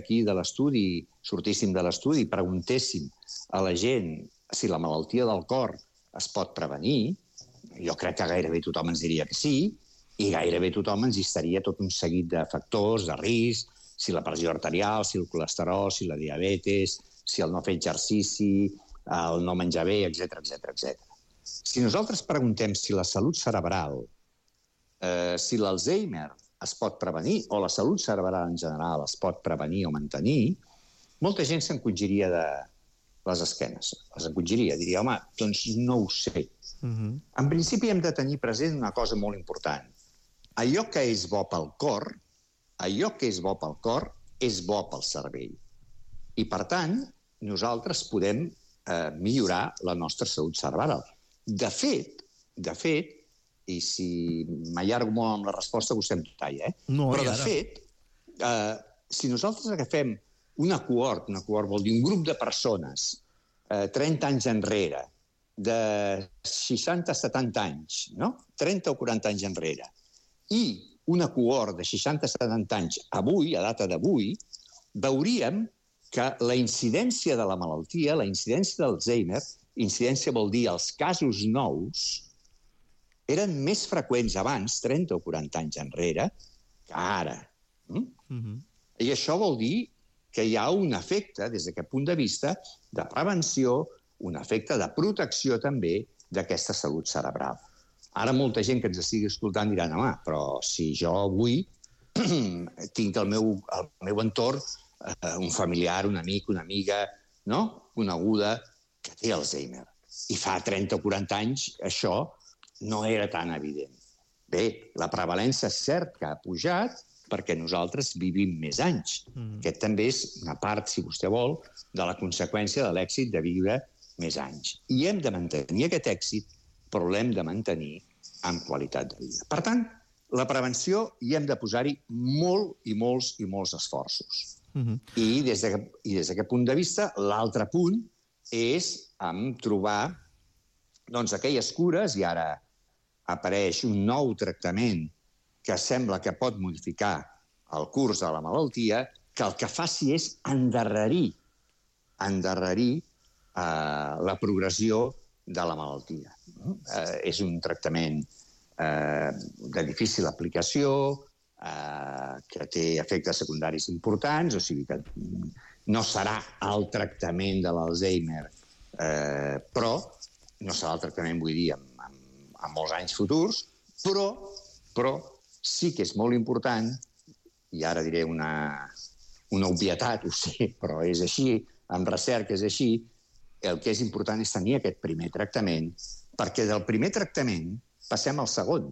aquí de l'estudi, sortíssim de l'estudi i preguntéssim a la gent si la malaltia del cor es pot prevenir, jo crec que gairebé tothom ens diria que sí, i gairebé tothom ens llistaria tot un seguit de factors, de risc, si la pressió arterial, si el colesterol, si la diabetes, si el no fer exercici, el no menjar bé, etc etc. Si nosaltres preguntem si la salut cerebral, si l'Alzheimer es pot prevenir, o la salut cerebral en general es pot prevenir o mantenir, molta gent s'encongiria de les esquenes. Les encongiria, diria, home, doncs no ho sé. En principi hem de tenir present una cosa molt important. Allò que és bo pel cor, és bo pel cervell. I, per tant, nosaltres podem millorar la nostra salut cerebral. De fet, i si m'allargo molt amb la resposta, vostè em talla, No, però de fet, si nosaltres agafem una cohort vol dir un grup de persones 30 anys enrere, de 60 a 70 anys, no? 30 o 40 anys enrere, i una cohort de 60 a 70 anys avui, a data d'avui, veuríem que la incidència de la malaltia, la incidència d'Alzheimer, incidència vol dir els casos nous, eren més freqüents abans, 30 o 40 anys enrere, que ara. I això vol dir que hi ha un efecte, des d'aquest punt de vista, de prevenció, un efecte de protecció també d'aquesta salut cerebral. Ara molta gent que ens estigui escoltant diran, home, però si jo avui tinc al meu entorn un familiar, un amic, una amiga, no?, coneguda, que té Alzheimer. I fa 30 o 40 anys això no era tan evident. Bé, la prevalència és cert que ha pujat perquè nosaltres vivim més anys. Aquest també és una part, si vostè vol, de la conseqüència de l'èxit de viure més anys. I hem de mantenir aquest èxit, però l'hem de mantenir amb qualitat de vida. Per tant, la prevenció hi hem de posar-hi molts esforços. I des d'aquest punt de vista, l'altre punt és trobar aquelles cures, i ara apareix un nou tractament que sembla que pot modificar el curs de la malaltia, que el que faci és endarrerir la progressió de la malaltia. És un tractament de difícil aplicació, que té efectes secundaris importants, o sigui que no serà el tractament de l'Alzheimer, però no serà el tractament, vull dir, en molts anys futurs, però sí que és molt important, i ara diré una obvietat, ho sé, però és així, amb recerca és així, el que és important és tenir aquest primer tractament, perquè del primer tractament passem al segon,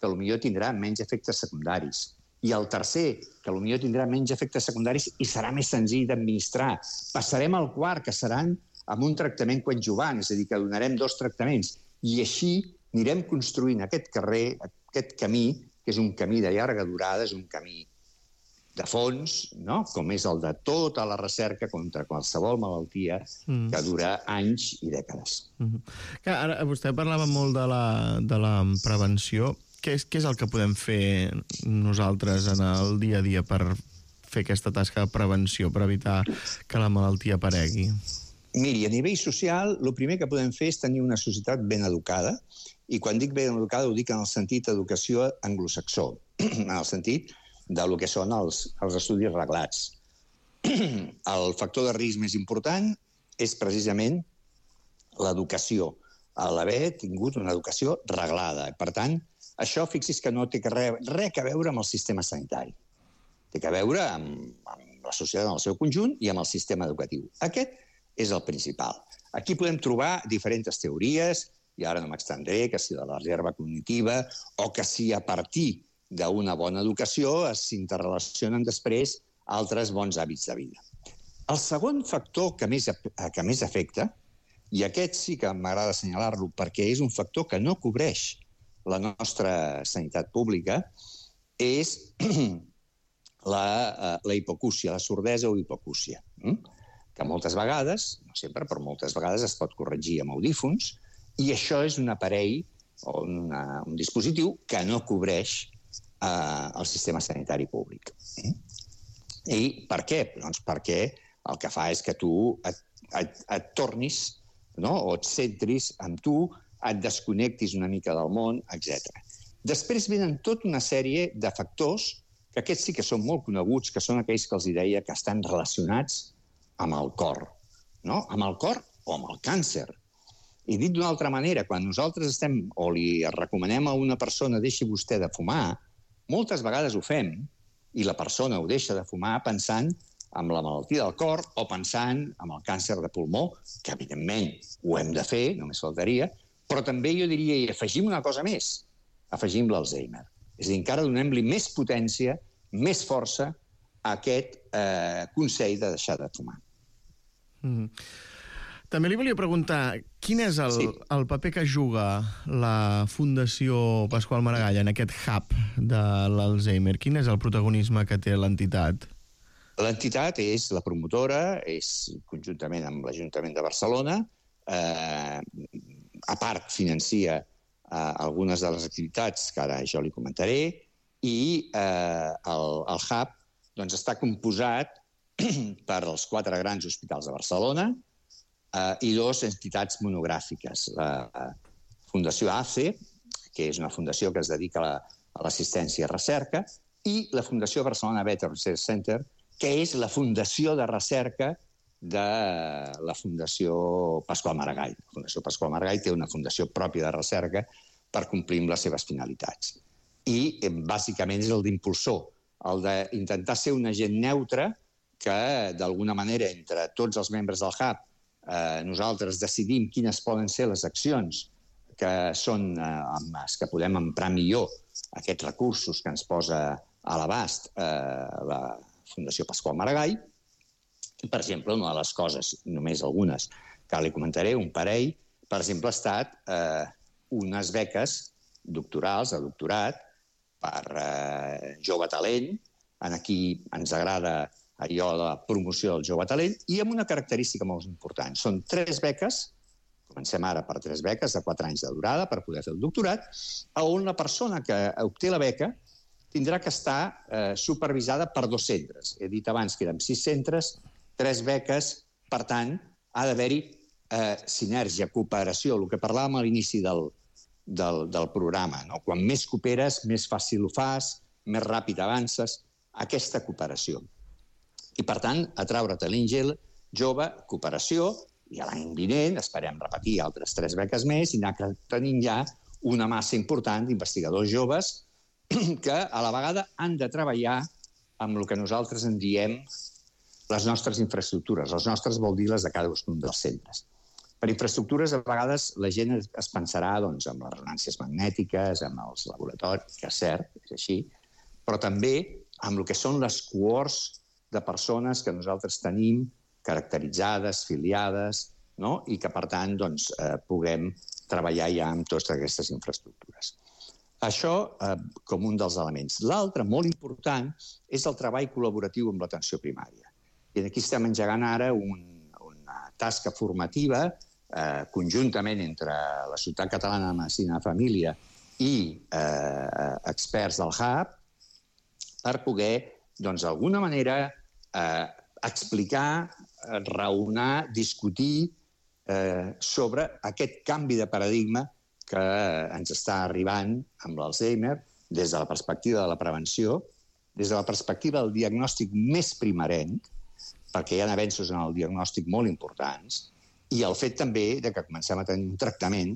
que potser tindrà menys efectes secundaris, i el tercer, que potser tindrà menys efectes secundaris i serà més senzill d'administrar. Passarem al quart, que seran amb un tractament coadjuvant, és a dir, que donarem 2 tractaments, i així anirem construint aquest camí, que és un camí de llarga durada, és un camí de fons, no?, com és el de tota la recerca contra qualsevol malaltia que dura anys i dècades. Ara, vostè parlava molt de la prevenció. Què és el que podem fer nosaltres en el dia a dia per fer aquesta tasca de prevenció, per evitar que la malaltia aparegui? Miri, a nivell social, el primer que podem fer és tenir una societat ben educada, i quan dic ben educada ho dic en el sentit d'educació anglosaxó, en el sentit del que són els estudis reglats. El factor de risc més important és precisament l'educació, l'haver tingut una educació reglada. Per tant, això, fixi's que no té res a veure amb el sistema sanitari. Té a veure amb la societat en el seu conjunt i amb el sistema educatiu. Aquest és el principal. Aquí podem trobar diferents teories, i ara no m'extendré, que si de la reserva cognitiva o que si a partir d'una bona educació s'interrelacionen després altres bons hàbits de vida. El segon factor que més afecta, i aquest sí que m'agrada assenyalar-lo perquè és un factor que no cobreix la nostra sanitat pública, és la hipocúcia, la sordesa o hipocúcia, que moltes vegades, no sempre, però moltes vegades es pot corregir amb audífons, i això és un aparell o un dispositiu que no cobreix el sistema sanitari públic. I per què? Doncs perquè el que fa és que tu et tornis, no? O et centris en tu, et desconnectis una mica del món, etc. Després venen tota una sèrie de factors que aquests sí que són molt coneguts, que són aquells que els deia que estan relacionats amb el cor, no? Amb el cor o amb el càncer. I dit d'una altra manera, quan nosaltres estem o li recomanem a una persona deixi vostè de fumar, moltes vegades ho fem i la persona ho deixa de fumar pensant en la malaltia del cor o pensant en el càncer de pulmó, que evidentment ho hem de fer, només faltaria, però també jo diria, i afegim una cosa més, afegim l'Alzheimer. És a dir, encara donem-li més potència, més força a aquest consell de deixar de fumar. També li volia preguntar, quin és el paper que juga la Fundació Pasqual Maragall en aquest hub de l'Alzheimer? Quin és el protagonisme que té l'entitat? L'entitat és la promotora, és conjuntament amb l'Ajuntament de Barcelona, a part financia algunes de les activitats que ara jo li comentaré, i el hub doncs, està composat per els 4 grans hospitals de Barcelona i 2 entitats monogràfiques. La Fundació ACE, que és una fundació que es dedica a l'assistència i recerca, i la Fundació Barcelona Better Research Center, que és la fundació de recerca de la Fundació Pasqual Maragall. La Fundació Pasqual Maragall té una fundació pròpia de recerca per complir amb les seves finalitats. I, bàsicament, és el d'impulsor, el d'intentar ser un agent neutre que, d'alguna manera, entre tots els membres del hub, nosaltres decidim quines poden ser les accions que són amb les que podem emprar millor aquests recursos que ens posa a l'abast la Fundació Pasqual Maragall. Per exemple, una de les coses, només algunes, que li comentaré, un parell, per exemple, ha estat unes beques doctorals, de doctorat, per jove talent. Aquí ens agrada allò de la promoció del jove talent, i amb una característica molt important. Són 3 beques, comencem ara per 3 beques de 4 anys de durada per poder fer el doctorat, on la persona que obté la beca tindrà que estar supervisada per 2 centres. He dit abans que eren 6 centres, 3 beques, per tant, ha d'haver-hi sinergia, cooperació, el que parlàvem a l'inici del programa. No? Quan més cooperes, més fàcil ho fas, més ràpid avances, aquesta cooperació. I, per tant, atraure talent jove, cooperació, i l'any vinent esperem repetir altres 3 beques més i anar tenint ja una massa important d'investigadors joves que a la vegada han de treballar amb el que nosaltres en diem les nostres infraestructures. Les nostres vol dir les de cadascun dels centres. Per infraestructures, a vegades, la gent es pensarà doncs, en les ressonàncies magnètiques, en els laboratoris, que és cert, és així, però també amb el que són les cohorts de persones que nosaltres tenim caracteritzades, filiades, no? I que, per tant, doncs, puguem treballar ja amb totes aquestes infraestructures. Això com un dels elements. L'altre, molt important, és el treball col·laboratiu amb l'atenció primària. I aquí estem engegant ara una tasca formativa conjuntament entre la Societat Catalana de Medicina de Família i experts del hub per poder, doncs, d'alguna manera, explicar, raonar, discutir sobre aquest canvi de paradigma que ens està arribant amb l'Alzheimer des de la perspectiva de la prevenció, des de la perspectiva del diagnòstic més primerenc, perquè hi ha avenços en el diagnòstic molt importants, i el fet també de que comencem a tenir un tractament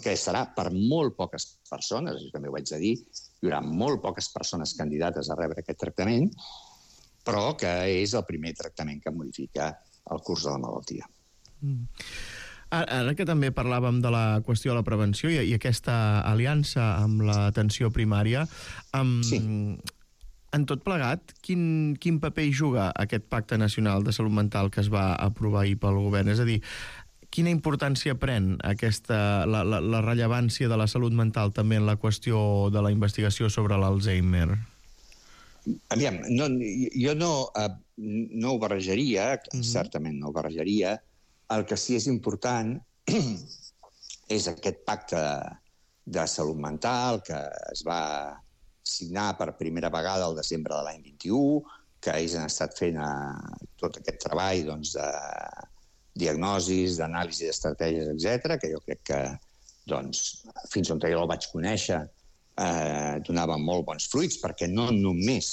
que serà per molt poques persones, això també ho haig de dir, hi haurà molt poques persones candidates a rebre aquest tractament, però que és el primer tractament que modifica el curs de la malaltia. Ara que també parlàvem de la qüestió de la prevenció i aquesta aliança amb l'atenció primària, Sí. en tot plegat, quin paper hi juga aquest Pacte Nacional de Salut Mental que es va aprovar ahir pel govern? És a dir, quina importància pren la rellevància de la salut mental també en la qüestió de la investigació sobre l'Alzheimer? Aviam, jo no ho barrejaria, certament no ho barrejaria. El que sí és important és aquest pacte de salut mental que es va signar per primera vegada al desembre de l'any 21, que ells han estat fent tot aquest treball doncs, de diagnosis, d'anàlisi d'estratègies, etc, que jo crec que doncs, fins on jo el vaig conèixer donava molt bons fruits, perquè no només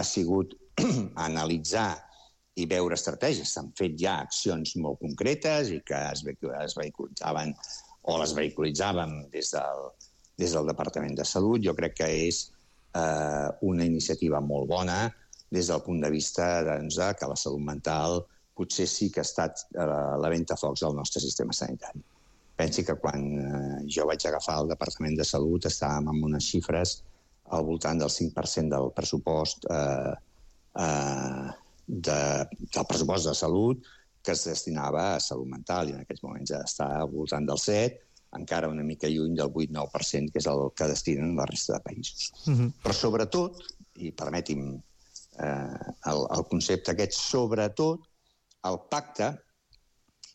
ha sigut analitzar i veure estratègies, s'han fet ja accions molt concretes i que es vehiculitzaven o les vehiculitzàvem des del Departament de Salut. Jo crec que és una iniciativa molt bona des del punt de vista doncs, que la salut mental potser sí que ha estat la ventafocs del nostre sistema sanitari. Pensi que quan jo vaig agafar el Departament de Salut estàvem amb unes xifres al voltant del 5% del pressupost del pressupost de salut que es destinava a salut mental, i en aquests moments ja està al voltant del 7%, encara una mica lluny del 8-9%, que és el que destinen la resta de països. Però sobretot, i permeti'm el concepte aquest, sobretot el pacte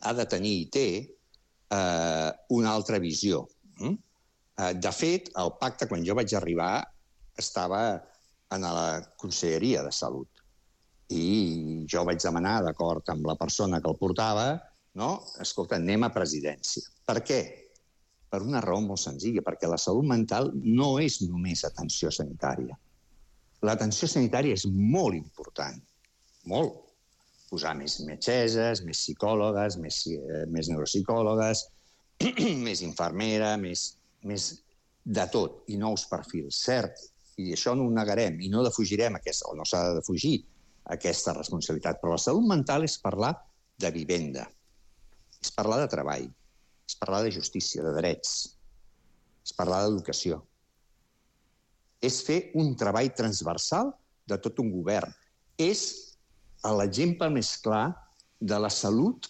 ha de tenir i té una altra visió. De fet, el pacte, quan jo vaig arribar, estava en la Conselleria de Salut. I jo vaig demanar, d'acord amb la persona que el portava, no? Escolta, anem a presidència. Per què? Per una raó molt senzilla, perquè la salut mental no és només atenció sanitària. L'atenció sanitària és molt important, molt. Posar més metgesses, més psicòlogues, més neuropsicòlogues, més infermera, més de tot, i nous perfils, cert. I això no ho negarem, i no defugirem o no s'ha de defugir aquesta responsabilitat. Però la salut mental és parlar de vivenda, és parlar de treball, és parlar de justícia, de drets, és parlar d'educació. És fer un treball transversal de tot un govern. És l'exemple més clar de la salut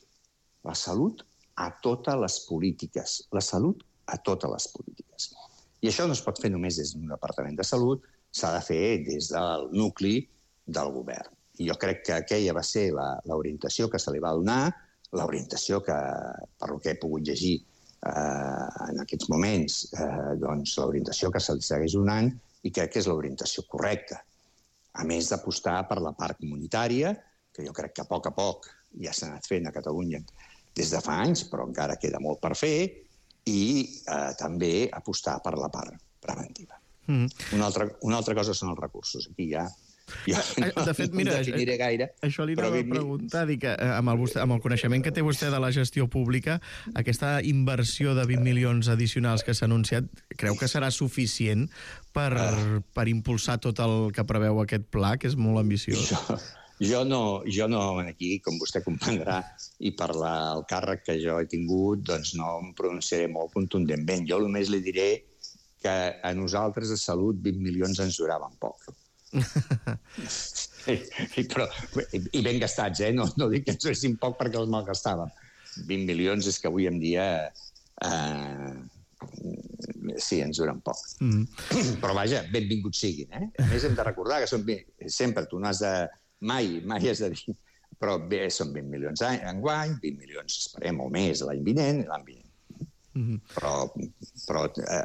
a totes les polítiques. La salut a totes les polítiques. I això no es pot fer només des d'un departament de salut, s'ha de fer des del nucli del govern. I jo crec que aquella va ser l'orientació que se li va donar, l'orientació que, per el que he pogut llegir en aquests moments, doncs l'orientació que se li segueix donant, i crec que és l'orientació correcta. A més d'apostar per la part comunitària, que jo crec que a poc ja s'ha anat fent a Catalunya des de fa anys, però encara queda molt per fer, i també apostar per la part preventiva. Una altra cosa són els recursos. Aquí ja de fet, mira, definiré gaire. Això li anava a preguntar, dic, amb el coneixement que té vostè de la gestió pública, aquesta inversió de 20 milions addicionals que s'ha anunciat, creu que serà suficient per impulsar tot el que preveu aquest pla, que és molt ambiciós? Jo no, aquí, com vostè comprendrà, i per el càrrec que jo he tingut, doncs no em pronunciaré molt contundentment. Jo només li diré que a nosaltres de salut 20 milions ens duraven poc. I ben gastats, no dic que ens duressin poc perquè els malgastàvem. 20 milions és que avui en dia sí, ens duren poc. Però vaja, benvinguts siguin. A més, hem de recordar que sempre tu no has de... Mai has de dir... Però bé, són 20 milions enguany, 20 milions esperem o més l'any vinent i l'any vinent. Però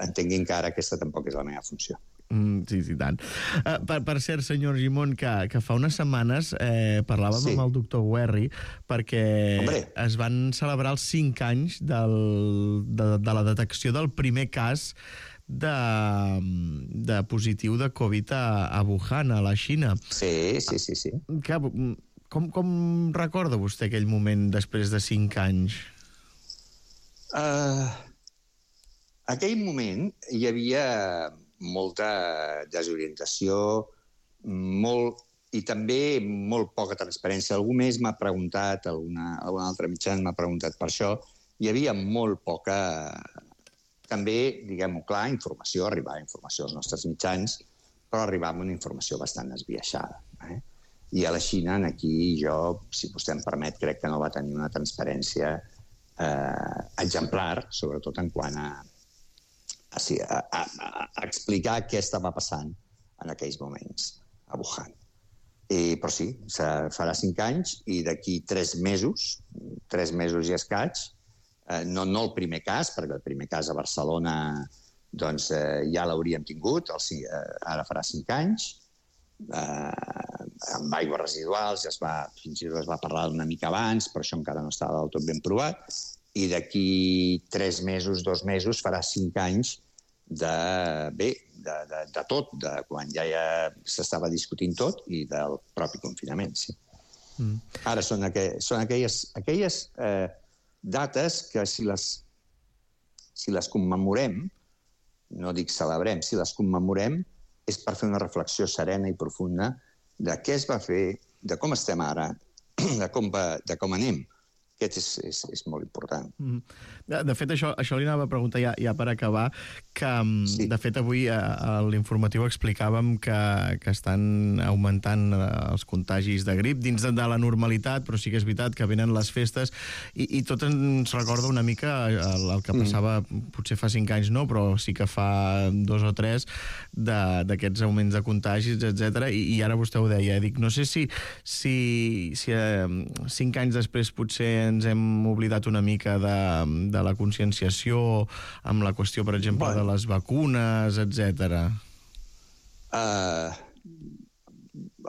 entenguin que ara aquesta tampoc és la meva funció. Sí, tant. Per cert, senyor Argimon, que fa unes setmanes parlàvem amb el doctor Guerri perquè es van celebrar els 5 anys de la detecció del primer cas de positiu de Covid a Wuhan, a la Xina. Sí. Com recorda vostè aquell moment després de 5 anys? Aquell moment hi havia molta desorientació, i també molt poca transparència. Algú més m'ha preguntat, algun altre mitjà m'ha preguntat per això. Hi havia molt poca, també, diguem-ho clar, informació, arribava informació als nostres mitjans, però arribava una informació bastant esbiaixada. I a la Xina, aquí jo, si vostè em permet, crec que no va tenir una transparència exemplar, sobretot en quant a explicar què estava passant en aquells moments a Wuhan. Però sí, farà 5 anys i d'aquí 3 mesos i escaig, no el primer cas, perquè el primer cas a Barcelona ja l'hauríem tingut, ara farà 5 anys, amb aigües residuals, fins i tot es va parlar una mica abans, però això encara no estava del tot ben provat, i d'aquí 3 mesos, 2 mesos, farà 5 anys de tot, de quan ja s'estava discutint tot i del propi confinament, sí. Ara són aquelles dates que si les commemorem, no dic celebrem, si les commemorem és per fer una reflexió serena i profunda de què es va fer, de com estem ara, de com anem. Aquest és molt important. De fet, això li anava a preguntar ja per acabar, que de fet avui a l'informatiu explicàvem que estan augmentant els contagis de grip dins de la normalitat, però sí que és veritat que venen les festes i tot ens recorda una mica el que passava potser fa 5 anys, no, però sí que fa 2 o 3 d'aquests augments de contagis, etc. I ara vostè ho deia, dic, no sé si 5 anys després potser ens hem oblidat una mica de la conscienciació amb la qüestió, per exemple, de les vacunes, etc.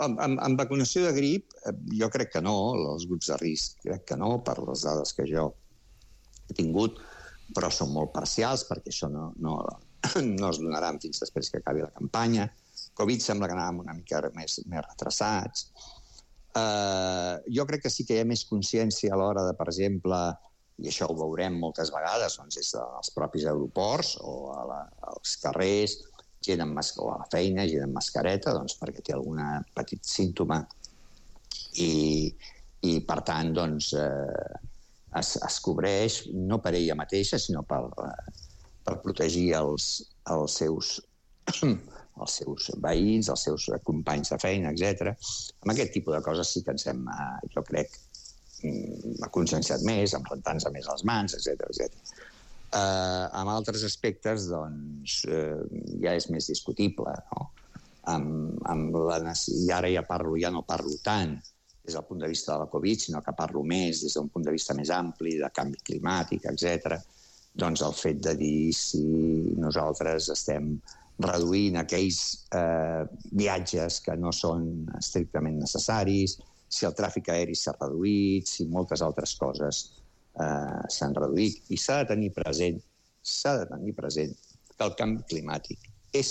Amb vacunació de grip, jo crec que no, els grups de risc, crec que no, per les dades que jo he tingut, però són molt parcials, perquè això no es donaran fins després que acabi la campanya. Covid sembla que anàvem una mica més retrasats. Jo crec que sí que hi ha més consciència a l'hora de, per exemple, i això ho veurem moltes vegades, doncs des dels propis aeroports o als carrers, gent o a la feina, gent amb mascareta, doncs perquè té algun petit símptoma i per tant, doncs, es cobreix no per ella mateixa, sinó per protegir els seus veïns, els seus companys de feina, etc. Amb aquest tipus de coses sí que ens hem, jo crec, conscienciat més, amb rentant-se més les mans, etc. Amb altres aspectes, doncs, ja és més discutible, no? I ara ja no parlo tant des del punt de vista de la Covid, sinó que parlo més des d'un punt de vista més ampli, de canvi climàtic, etc. Doncs el fet de dir si nosaltres estem reduint aquells viatges que no són estrictament necessaris, si el tràfic aeri s'ha reduït, si moltes altres coses s'han reduït. I s'ha de tenir present que el canvi climàtic és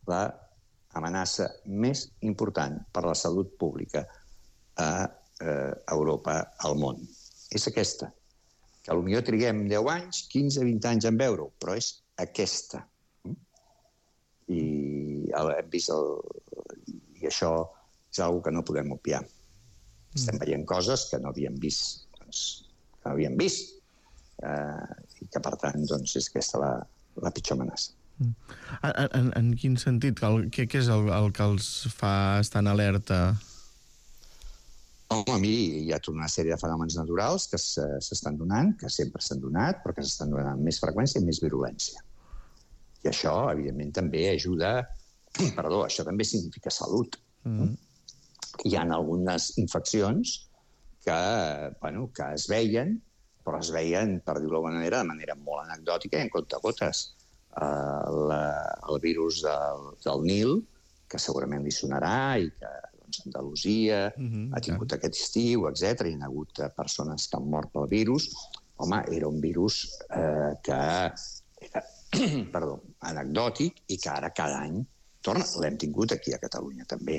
l'amenaça més important per a la salut pública a Europa, al món. És aquesta, que potser triguem 10 anys, 15, 20 anys en veure-ho, però és aquesta. I hem vist i això és una cosa que no podem obviar. Estem veient coses que no havíem vist, i que, per tant, doncs, és aquesta la pitjor amenaça. En quin sentit? Què és el que els fa estar en alerta? Home, miri, hi ha tota una sèrie de fenòmens naturals que s'estan donant, que sempre s'han donat, però que s'estan donant amb més freqüència i més virulència. I això, evidentment, també ajuda... això també significa salut. Hi ha algunes infeccions que es veien, però es veien, per dir-ho d'alguna manera, de manera molt anecdòtica i en comptagotes. El virus del Nil, que segurament li sonarà i que Andalusia ha tingut aquest estiu, etc. Hi ha hagut persones que han mort pel virus. Home, era un virus que era anecdòtic i que ara cada any torna. L'hem tingut aquí a Catalunya també.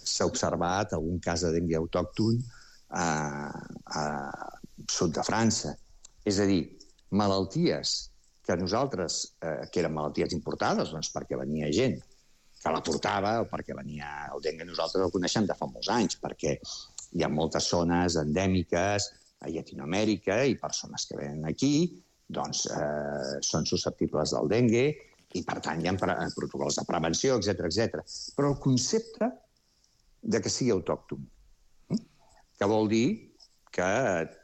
S'ha observat algun cas de dengue autòcton a sud de França. És a dir, malalties que nosaltres, que eren malalties importades, doncs perquè venia gent que la portava o perquè venia el dengue, nosaltres el coneixem de fa molts anys, perquè hi ha moltes zones endèmiques a Llatinoamèrica i persones que venen aquí doncs són susceptibles del dengue i, per tant, hi ha protocols de prevenció, etc. Però el concepte de que sigui autòcton, que vol dir que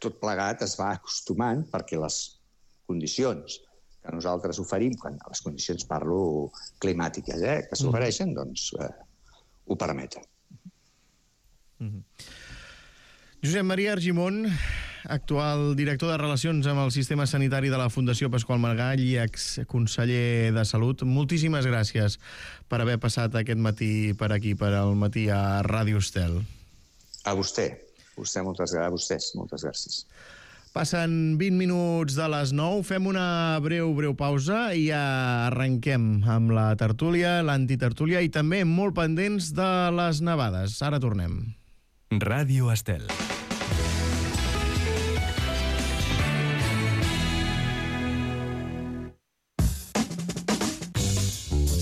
tot plegat es va acostumant perquè les condicions que nosaltres oferim, quan les condicions parlo climàtiques, que s'ofereixen, doncs ho permeten. Josep Maria Argimon, actual director de Relacions amb el Sistema Sanitari de la Fundació Pasqual Margall i exconseller de Salut. Moltíssimes gràcies per haver passat aquest matí per aquí, per al matí a Ràdio Estel. A vostè. Moltes gràcies. Passen 20 minuts de les 9, fem una breu pausa i ja arrenquem amb la tertúlia, l'antitertúlia, i també molt pendents de les nevades. Ara tornem. Ràdio Estel.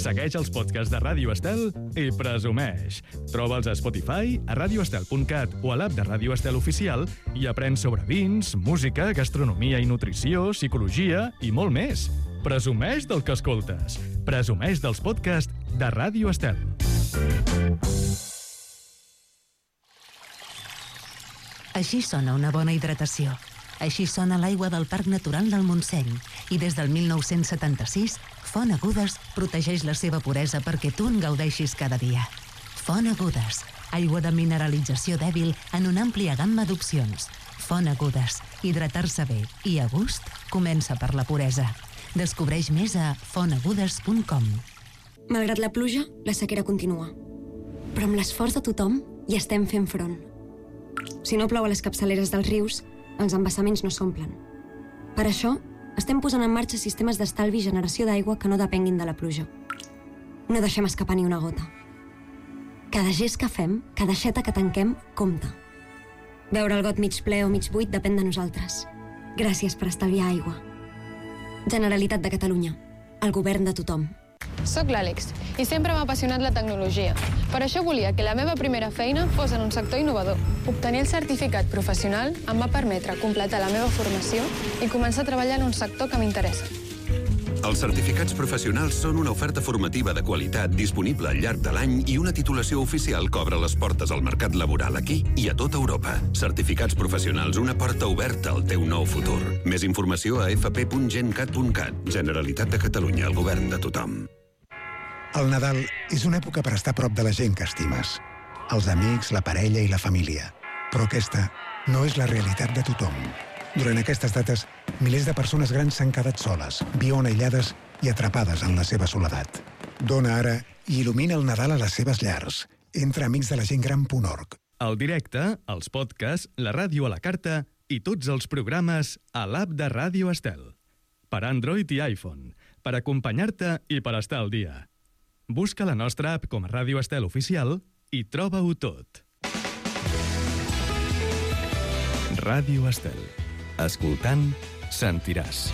Segueix els podcasts de Ràdio Estel i presumeix. Troba'ls a Spotify, a radioestel.cat o a l'app de Ràdio Estel Oficial i aprèn sobre vins, música, gastronomia i nutrició, psicologia i molt més. Presumeix del que escoltes. Presumeix dels podcasts de Ràdio Estel. Així sona una bona hidratació. Així sona l'aigua del Parc Natural del Montseny. I des del 1976, Font Agudes protegeix la seva puresa perquè tu en gaudeixis cada dia. Font Agudes, aigua de mineralització dèbil en una àmplia gamma d'opcions. Font Agudes, hidratar-se bé i a gust comença per la puresa. Descobreix més a fontagudes.com. Malgrat la pluja, la sequera continua. Però amb l'esforç de tothom hi estem fent front. Si no plou a les capçaleres dels rius, els embassaments no s'omplen. Per això, estem posant en marxa sistemes d'estalvi i generació d'aigua que no depenguin de la pluja. No deixem escapar ni una gota. Cada gest que fem, cada aixeta que tanquem, compta. Veure el got mig ple o mig buit depèn de nosaltres. Gràcies per estalviar aigua. Generalitat de Catalunya. El govern de tothom. Soc l'Àlex i sempre m'ha apassionat la tecnologia. Per això volia que la meva primera feina fos en un sector innovador. Obtenir el certificat professional em va permetre completar la meva formació i començar a treballar en un sector que m'interessa. Els certificats professionals són una oferta formativa de qualitat disponible al llarg de l'any i una titulació oficial que obre les portes al mercat laboral aquí i a tota Europa. Certificats professionals, una porta oberta al teu nou futur. Més informació a fp.gencat.cat. Generalitat de Catalunya, el govern de tothom. El Nadal és una època per estar a prop de la gent que estimes. Els amics, la parella i la família. Però aquesta no és la realitat de tothom. Durant aquestes dates, milers de persones grans s'han quedat soles, viuen aïllades i atrapades en la seva soledat. Dona ara i il·lumina el Nadal a les seves llars. Entra a amicsdelagentgran.org. El directe, els podcasts, la ràdio a la carta i tots els programes a l'app de Ràdio Estel. Per Android i iPhone, per acompanyar-te i per estar al dia. Busca la nostra app com a Ràdio Estel Oficial i troba-ho tot. Ràdio Estel. Escoltant, sentiràs.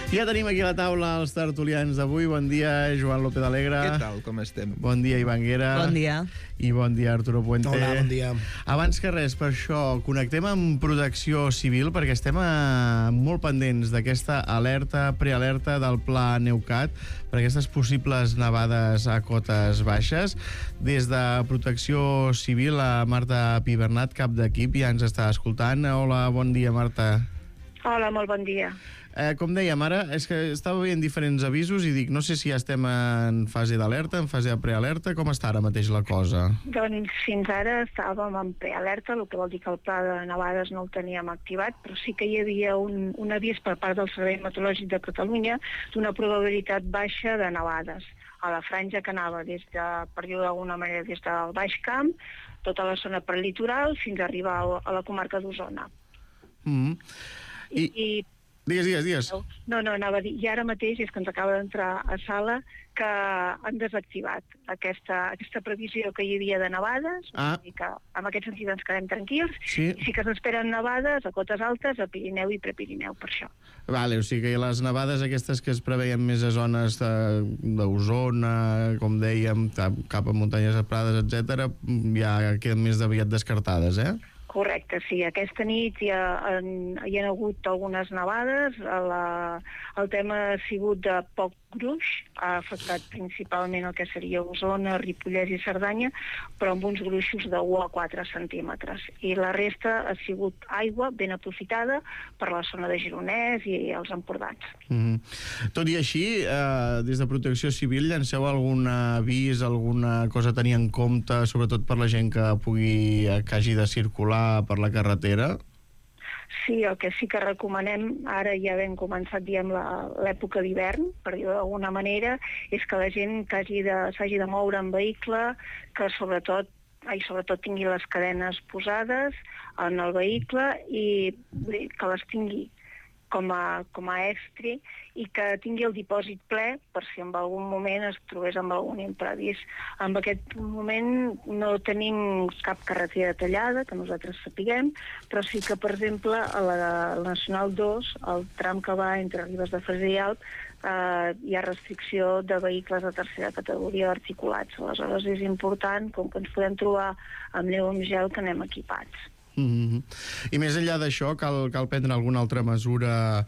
Ja tenim aquí a la taula els tertulians d'avui. Bon dia, Joan López Alegre. Què tal, com estem? Bon dia, Ivan Guera. Bon dia. I bon dia, Arturo Puente. Hola, bon dia. Abans que res, per això, connectem amb Protecció Civil, perquè estem molt pendents d'aquesta alerta, prealerta del Pla Neucat, per aquestes possibles nevades a cotes baixes. Des de Protecció Civil, la Marta Pibernat, cap d'equip, ja ens està escoltant. Hola, bon dia, Marta. Hola, molt bon dia. Com dèiem, ara és que estava veient diferents avisos i dic, no sé si ja estem en fase d'alerta, en fase de prealerta, com està ara mateix la cosa? Doncs fins ara estàvem en prealerta, el que vol dir que el pla de nevades no el teníem activat, però sí que hi havia un avís per part del Servei Meteorològic de Catalunya d'una probabilitat baixa de nevades a la franja que anava per dir-ho d'alguna manera, des del Baix Camp, tota la zona prelitoral, fins a arribar a la comarca d'Osona. Digues. No, anava a dir, i ara mateix és que ens acaba d'entrar a sala que han desactivat aquesta previsió que hi havia de nevades, i que en aquest sentit ens quedem tranquils, i sí que s'esperen nevades a cotes altes, a Pirineu i Prepirineu, per això. Vale, o sigui que les nevades aquestes que es preveien més a zones d'Osona, com dèiem, cap a muntanyes prades, etc., ja queden més aviat descartades, eh? Correcte, sí. Aquesta nit hi ha hagut algunes nevades. El tema ha sigut de poc gruix, ha afectat principalment el que seria Osona, Ripollès i Cerdanya, però amb uns gruixos de 1 a 4 centímetres. I la resta ha sigut aigua ben aprofitada per la zona de Gironès i els Empordans. Tot i així, des de Protecció Civil llanceu algun avís, alguna cosa a tenir en compte, sobretot per la gent que hagi de circular per la carretera? Sí, el que sí que recomanem, ara ja hem començat, diem, l'època d'hivern, per dir-ho d'alguna manera, és que la gent que s'hagi de moure en vehicle, que sobretot tingui les cadenes posades en el vehicle i que les tingui com a estri i que tingui el dipòsit ple per si en algun moment es trobés amb algun imprevist. En aquest moment no tenim cap carretera tallada, que nosaltres sapiguem, però sí que, per exemple, a la Nacional 2, el tram que va entre Ribes de Freser i Alp, hi ha restricció de vehicles de tercera categoria articulats. Aleshores és important, com que ens podem trobar amb neu o amb gel, que anem equipats. I més enllà d'això, cal prendre alguna altra mesura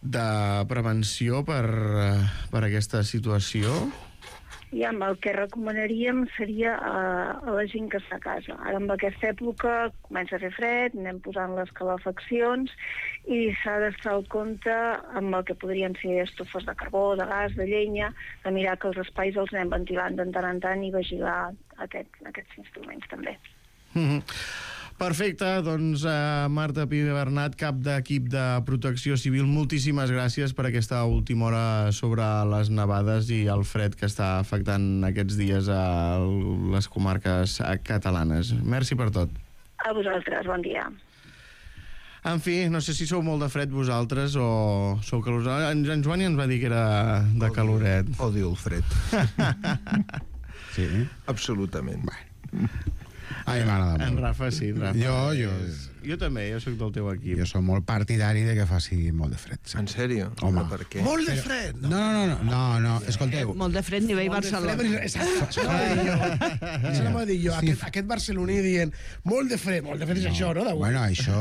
de prevenció per aquesta situació? I el que recomanaríem seria a la gent que està a casa. Ara, en aquesta època, comença a fer fred, anem posant les calefaccions i s'ha d'estar al compte amb el que podrien ser estufes de carbó, de gas, de llenya, de mirar que els espais els anem ventilant de tant en tant i vigilar aquests instruments també. Perfecte, doncs Marta Pi Bernat, cap d'equip de Protecció Civil, moltíssimes gràcies per aquesta última hora sobre les nevades i el fred que està afectant aquests dies a les comarques catalanes. Merci per tot. A vosaltres, bon dia. En fi, no sé si sou molt de fred vosaltres o sou calorós. En Joan ja ens va dir que era de caloret. Odio el fred. Sí, absolutament. Bueno. A mi m'agrada molt. En Rafa sí, en Rafa. Jo també, jo soc del teu equip. Jo soc molt partidari de que faci molt de fred. Sí. En sèrio? Home. Per què? Molt de fred! No, escolteu. Molt de fred nivell Barcelona. Això no m'ho dic jo. Aquest barceloní dient molt de fred és això, no? Bueno, això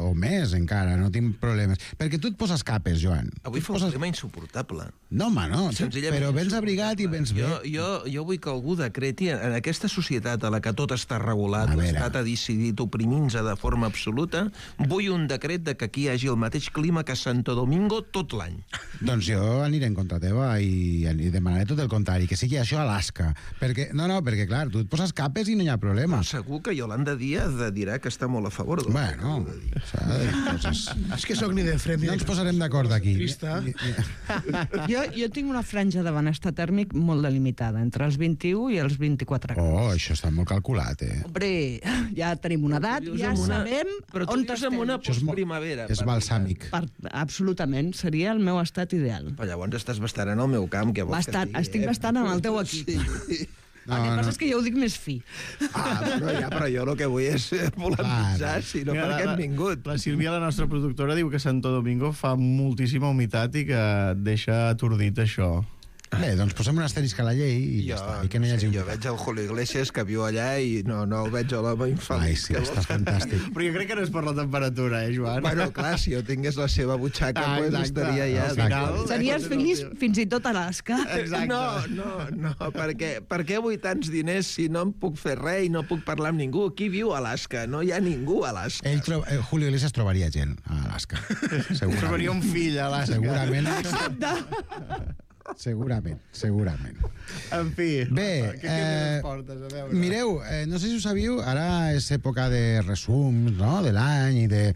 o més encara, no tinc problemes. Perquè tu et poses capes, Joan. Avui fa un clima insuportable. No, home, no. Però vens abrigat i vens bé. Jo vull que algú decreti en aquesta societat a la que tot està regulat, l'estat ha decidit oprimir-nos de forma absoluta, vull un decret de que aquí hi hagi el mateix clima que a Santo Domingo tot l'any. Doncs jo aniré en contra teva i demanaré tot el contrari, que sigui això a Alaska. Perquè clar, tu et poses capes i no hi ha problema. Segur que Yolanda Díaz dirà que està molt a favor del bueno, és que sóc ni de fred ni no ens posarem d'acord aquí. Jo tinc una franja de benestar tèrmic molt delimitada, entre els 21 i els 24 graus. Oh, això està molt calculat, Hombre, ja tenim una edat, ja sabem però tu dius amb una postprimavera. És balsàmic. Absolutament, seria el meu estat ideal. Però llavors estàs bastant en el meu camp, que vols que estigui. Estic bastant en el teu equip. El que passa és que jo ho dic més fi. Però jo el que vull és polemitzar, si no per què hem vingut. La Sílvia, la nostra productora, diu que Santo Domingo fa moltíssima humitat i que et deixa atordit això. Bé, doncs posem un asterisc a la llei i ja està. I que no hi hagi... Jo veig el Julio Iglesias que viu allà i no el veig a l'home infeliç. Ai, sí, està fantàstic. Però jo crec que no és per la temperatura, Joan? Bueno, clar, si jo tingués la seva butxaca, pues estaria ja... Series feliç fins i tot a Alaska. No, per què vull tants diners si no em puc fer res i no puc parlar amb ningú? Qui viu a Alaska? No hi ha ningú a Alaska. Julio Iglesias trobaria gent a Alaska. Trobaria un fill a Alaska. Segurament. En fi, bé, què més portes? A veure. Mireu, no sé si ho sabíu, ara és època de resums, no?, de l'any i de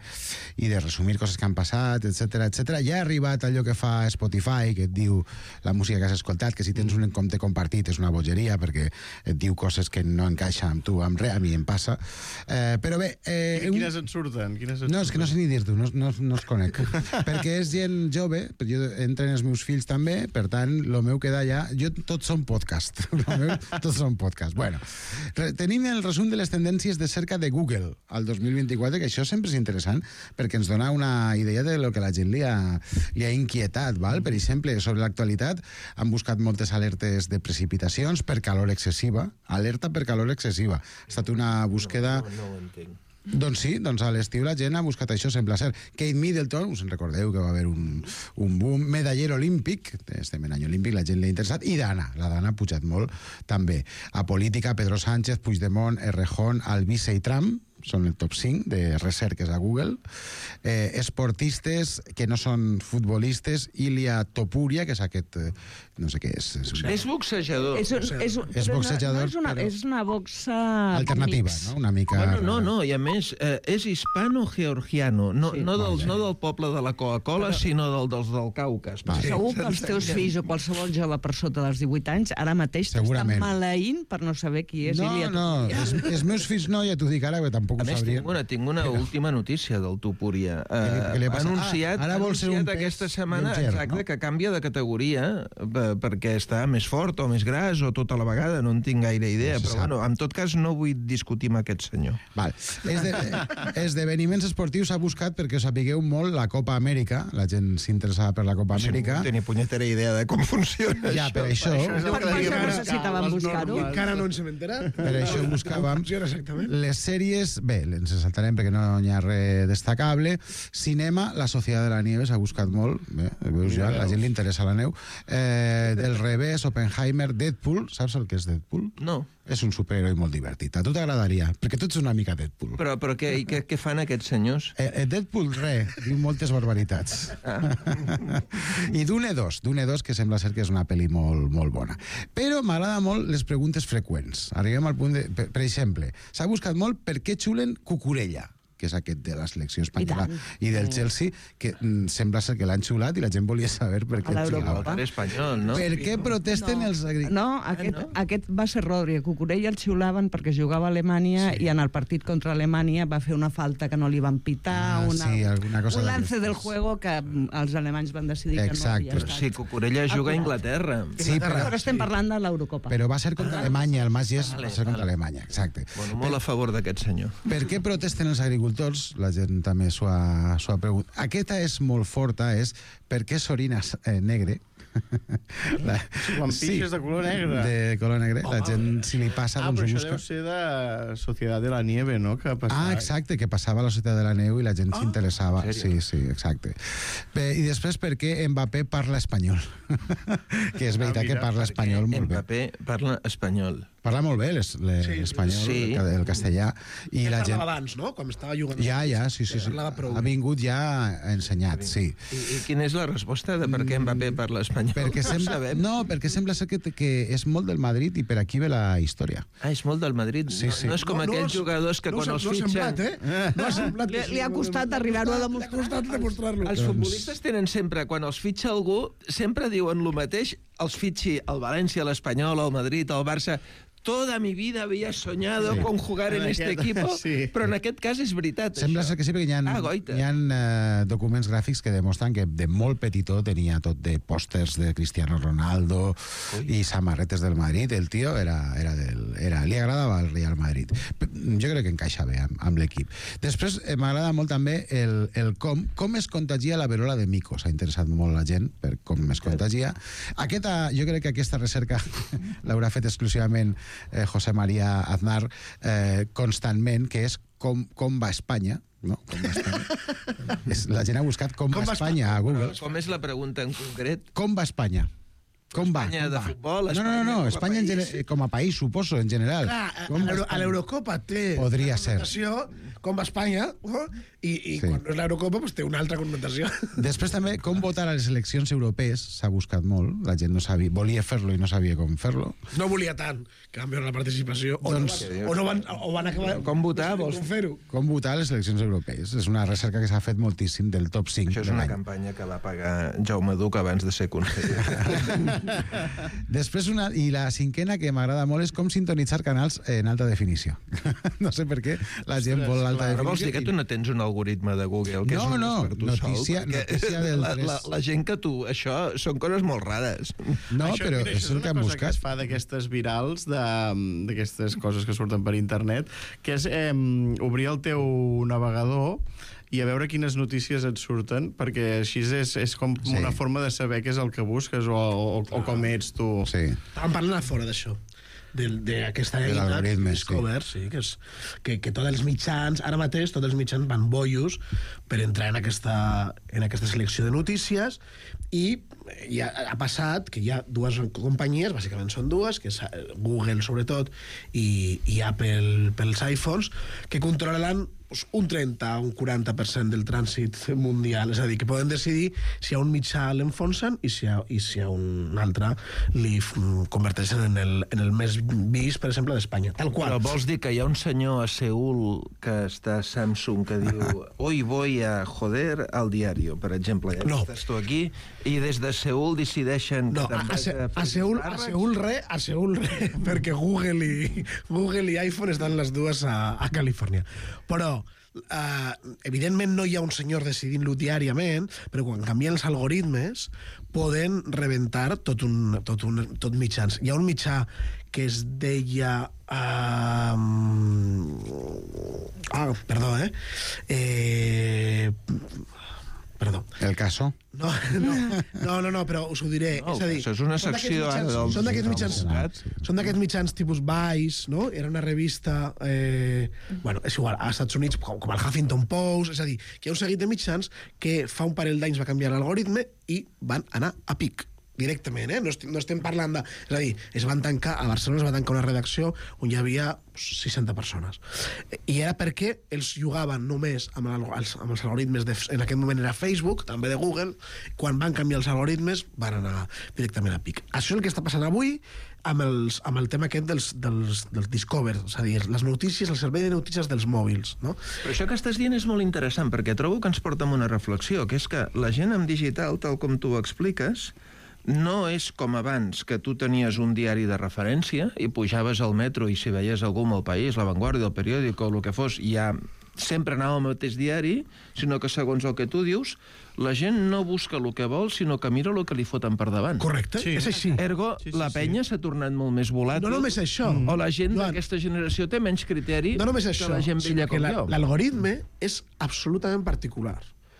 resumir coses que han passat, etc. Ja ha arribat allò que fa Spotify, que et diu la música que has escoltat, que si tens un compte compartit és una bogeria, perquè et diu coses que no encaixen amb tu, amb res, a mi em passa. Però bé... Quines et surten? No, és que no sé ni dir-t'ho, no els conec. Perquè és gent jove, jo entren els meus fills també, per tant, el meu queda allà... Tots són podcast. Tots són podcast. Bueno, tenim el resum de les tendències de cerca de Google al 2024, que això sempre és interessant, perquè ens dona una idea de lo que la gent li ha inquietat, val? Per exemple, sobre l'actualitat han buscat moltes alertes de precipitacions per calor excessiva. Alerta per calor excessiva. Ha estat una búsqueda... No ho entenc. Doncs sí, doncs a l'estiu la gent ha buscat això, sembla ser. Kate Middleton, us en recordeu que va haver un boom, medaller olímpic, estem en any olímpic, la gent l'ha interessat, i la Dana ha pujat molt també. A política, Pedro Sánchez, Puigdemont, Errejón, Albize i Trump, són el top 5 de recerques a Google. Esportistes que no són futbolistes, Ilia Topuria, que és aquest, no sé què és. És boxejador. És boxejador, però és una boxa... alternativa, no? Una mica... No, i a més, és hispano-georgiano, no del poble de la Coca-Cola, sinó dels del Caucas. Segur que els teus fills o qualsevol jove per sota dels 18 anys ara mateix t'estan maleint per no saber qui és Ilia Topuria. No, els meus fills no, ja t'ho dic ara, que tampoc ho sabrien. A més, tinc una última notícia del Topuria. Ha anunciat aquesta setmana que canvia de categoria perquè està més fort o més gras o tota la vegada, no en tinc gaire idea, però bueno, en tot cas no vull discutir amb aquest senyor. Val. Esdeveniments esportius s'ha buscat perquè sapigueu molt la Copa Amèrica, la gent s'interessava per la Copa Amèrica. No tenia punyetera idea de com funciona ja, per això. Per això necessitàvem buscar-ho. Encara no ens hem enterat. Per això buscàvem les sèries, bé, ens saltarem perquè no hi ha res destacable. Cinema, La Sociedad de la Nieve s'ha buscat molt, veus ja, la gent li interessa la neu. Del revés, Oppenheimer, Deadpool, saps el que és Deadpool? No. És un superheroi molt divertit. A tu t'agradaria, perquè tu ets una mica Deadpool. Però què fan aquests senyors? Deadpool, diu moltes barbaritats. I Dune 2, que sembla ser que és una pel·li molt, molt bona. Però m'agrada molt les preguntes freqüents. Arribem al punt de... Per exemple, s'ha buscat molt per què xulen Cucurella, que és aquest de la selecció espanyola i del Chelsea, que sembla ser que l'han xulat i la gent volia saber per què xulava. Espanyol, no? Per què protesten els agricultors? No, aquest va ser Rodri. Cucurella el xiulaven perquè jugava a Alemanya i en el partit contra Alemanya va fer una falta que no li van pitar, un lance del juego que els alemanys van decidir que no havia estat. Sí, Cucurella juga a Inglaterra. Sí, però estem parlant de l'Eurocopa. Però va ser contra Alemanya, el Mas Yes va ser contra Alemanya, exacte. Bueno, molt a favor d'aquest senyor. Per què protesten els agricultors? La gent també s'ho ha preguntat. Aquesta és molt forta, és per què s'orina negre. Quan pixes de color negre. De color negre. La gent, si li passa, doncs ho busca. Però això deu ser de Societat de la Nieve, no? Exacte, que passava a la Societat de la Neu i la gent s'interessava. Sí, exacte. I després, per què Mbappé parla espanyol? Que és veritat que parla espanyol molt bé. Mbappé parla espanyol. Parla molt bé l'espanyol, el castellà. I la gent... Parlava abans, no? Com estava jugant. Ja, sí. Ha vingut ja ensenyat, sí. I quina és la resposta de per què Mbappé parla espanyol? Perquè sembla ser que és molt del Madrid i per aquí ve la història. És molt del Madrid? Sí. No és com aquells jugadors que quan els fitxen... No ha semblat, li ha costat arribar-ho a demostrar. Li ha costat demostrar-lo. Els futbolistes tenen sempre, quan els fitxa algú, sempre diuen el mateix, els fitxi el València, l'Espanyol, el Madrid, el Barça... Toda mi vida había soñado con jugar en este equipo, però en aquest cas és veritat. Sembla ser que sí, perquè hi ha documents gràfics que demostren que de molt petitó tenia tot de pòsters de Cristiano Ronaldo i samarretes del Madrid. El tio li agradava el Real Madrid. Jo crec que encaixa bé amb l'equip. Després m'agrada molt també el com es contagia la verola de mico. S'ha interessat molt la gent per com es contagia. Jo crec que aquesta recerca l'haurà fet exclusivament José María Aznar constantment, que és com va Espanya, no? Com va Espanya. La gent ha buscat com va Espanya a Google. Com és la pregunta en concret? Com va Espanya? Com va? Espanya de futbol? No, Espanya com a país, suposo, en general. Clar, a l'Eurocopa té podria ser com va Espanya, i quan no és l'Eurocopa té una altra connotació. Després també, com votar a les eleccions europees s'ha buscat molt, la gent no sabia, volia fer-lo i no sabia com fer-lo. No volia tant, que van veure la participació, o van acabar... Com votar, vols fer-ho? Com votar a les eleccions europees. És una recerca que s'ha fet moltíssim del top 5. Això és una campanya que va pagar Jaume Duc abans de ser conseller. Després i la cinquena que m'agrada molt és com sintonitzar canals en alta definició. No sé per què la gent vol l'alta definició. Però vols dir que tu no tens un algoritme de Google que és només per tu notícia del 3. La gent que tu... Això són coses molt rares. No, però és el que han buscat. Que es fa d'aquestes virals, d'aquestes coses que surten per internet, que és obrir el teu navegador i a veure quines notícies et surten, perquè així és com una forma de saber què és el que busques o com ets tu. Sí. Estàvem parlant a fora d'això. d'aquesta eina Discover, sí, que tots els mitjans, ara mateix tots els mitjans van bollos per entrar en aquesta selecció de notícies, i ja ha passat que hi ha dues companyies, bàsicament són dues, que és Google sobretot i Apple pels iPhones, que controlen un 30 o un 40% del trànsit mundial, és a dir, que poden decidir si a un mitjà l'enfonsen i si a un altre li converteixen en el més vist, per exemple, d'Espanya, tal qual. Però vols dir que hi ha un senyor a Seül que està a Samsung que diu hoy voy a joder al diario, per exemple, ja no. Estàs tu aquí, i des de Seül decideixen... No, a Seül re, perquè Google i iPhone estan les dues a Califòrnia. Però evidentment no hi ha un senyor decidint-lo diàriament, però quan canvien els algoritmes poden rebentar tot mitjans. Hi ha un mitjà que es deia... Perdó. El Caso? No, però us ho diré. No, és a dir, això és una secció... Són d'aquests mitjans tipus Vice, no? Era una revista... bueno, és igual, als Estats Units, com el Huffington Post, és a dir, que hi ha un seguit de mitjans que fa un parell d'anys va canviar l'algoritme i van anar a pic directament, no estem parlant de... És a dir, a Barcelona es va tancar una redacció on hi havia 60 persones. I era perquè ells jugaven només amb els algoritmes, en aquest moment era Facebook, també de Google, quan van canviar els algoritmes van anar directament a pic. Això és el que està passant avui amb el tema aquest dels Discover, és a dir, les notícies, el servei de notícies dels mòbils, no? Però això que estàs dient és molt interessant, perquè trobo que ens porta a una reflexió, que és que la gent amb digital, tal com tu ho expliques, no és com abans, que tu tenies un diari de referència i pujaves al metro i si veies algú amb El País, La Vanguardia, El Periòdico o el que fos, ja sempre anava al mateix diari, sinó que segons el que tu dius, la gent no busca el que vol, sinó que mira el que li foten per davant. Correcte, sí. És així. Ergo, la penya s'ha tornat molt més volàtil. No només això. O la gent d'aquesta generació té menys criteri que la gent vella com jo. L'algoritme és absolutament particular.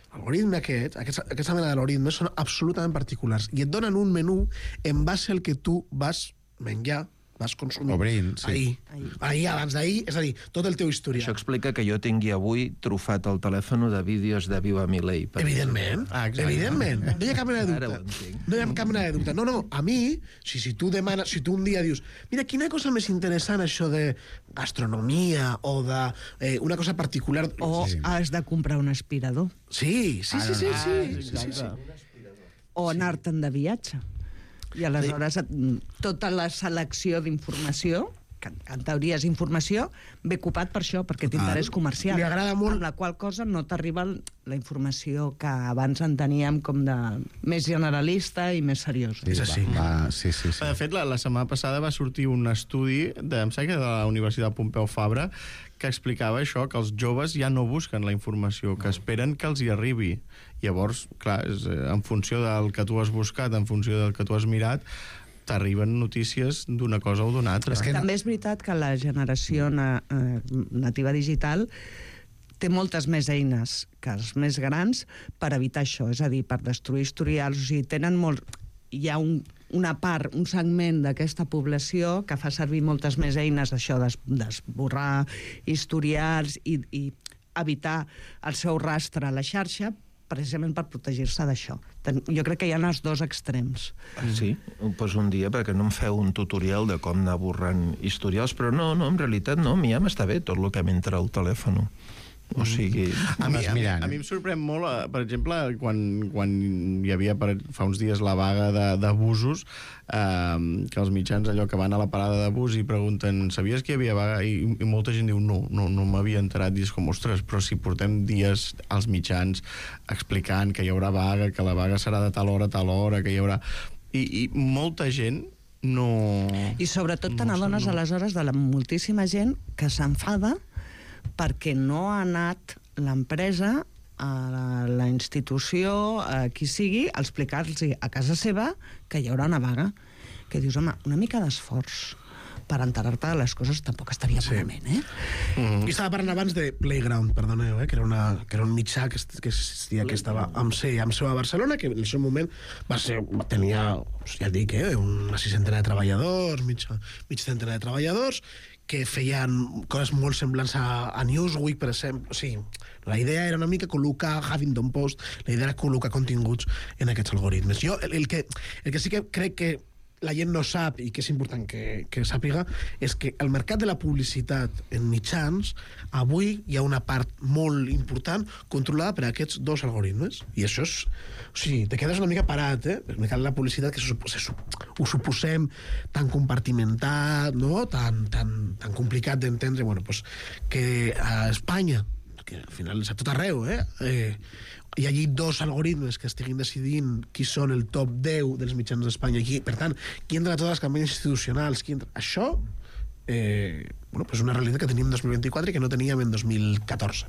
L'algoritme aquesta mena d'algoritmes són absolutament particulars i et donen un menú en base al que tu vas menjar, vas consumir. Obrint, sí. Ahir, abans d'ahir, és a dir, tot el teu historial. Això explica que jo tingui avui trufat el telèfon de vídeos de Viva Milei. Evidentment, evidentment. No hi ha cap mena de dubte. No hi ha cap mena de dubte. No, a mi, si tu demanes, si tu un dia dius, mira, quina cosa més interessant això de gastronomia o de una cosa particular... O has de comprar un aspirador. Sí. O anar-te'n de viatge. I aleshores tota la selecció d'informació, que en teoria és informació, ve ocupat per això, perquè t'interès comercial. Li agrada molt... Amb la qual cosa no t'arriba la informació que abans en teníem com de més generalista i més seriosa. És així. Sí. De fet, la setmana passada va sortir un estudi de la Universitat Pompeu Fabra que explicava això, que els joves ja no busquen la informació, que esperen que els hi arribi. Llavors, clar, en funció del que tu has buscat, en funció del que tu has mirat, t'arriben notícies d'una cosa o d'una altra. També és veritat que la generació nativa digital té moltes més eines que els més grans per evitar això, és a dir, per destruir historials, o sigui, tenen molt... Hi ha una part, un segment d'aquesta població que fa servir moltes més eines d'això, d'esborrar historials i evitar el seu rastre a la xarxa, precisament per protegir-se d'això. Jo crec que hi ha els dos extrems. Sí, doncs un dia, perquè no em feu un tutorial de com anar borrant historials, però no, en realitat no, a mi ja m'està bé tot el que m'entra al telèfon. O sigui... A mi em sorprèn molt, per exemple, quan hi havia fa uns dies la vaga d'abusos, que els mitjans allò que van a la parada de bus i pregunten, sabies que hi havia vaga? I molta gent diu, no m'havia enterat. I és com, ostres, però si portem dies als mitjans explicant que hi haurà vaga, que la vaga serà de tal hora, que hi haurà... I molta gent no... I sobretot te n'adones aleshores de la moltíssima gent que s'enfada perquè no ha anat l'empresa a la institució, a qui sigui, a explicar-los a casa seva que hi haurà una vaga. Que dius, home, una mica d'esforç. per enterar-te de les coses tampoc estaria malament, I estava parlant abans de Playground, perdoneu, que era un mitjà que existia, que estava amb seu a Barcelona, que en el seu moment tenia, ja et dic, una 600 de treballadors, mig centena de treballadors, que feien coses molt semblants a Newsweek, per exemple. O sigui, la idea era una mica col·locar Huffington Post, la idea era col·locar continguts en aquests algoritmes. Jo el que sí que crec que la gent no sap i que és important que sàpiga és que el mercat de la publicitat en mitjans, avui hi ha una part molt important controlada per aquests dos algoritmes. I això és... O sigui, te quedes una mica parat, El mercat de la publicitat, que ho suposem tan compartimentat, no? tan complicat d'entendre, bueno, pues, que a Espanya, que al final és a tot arreu, hi hagi dos algoritmes que estiguin decidint qui són el top 10 dels mitjans d'Espanya. Per tant, qui entra a totes les campanyes institucionals, això és una realitat que tenim en 2024 i que no teníem en 2014.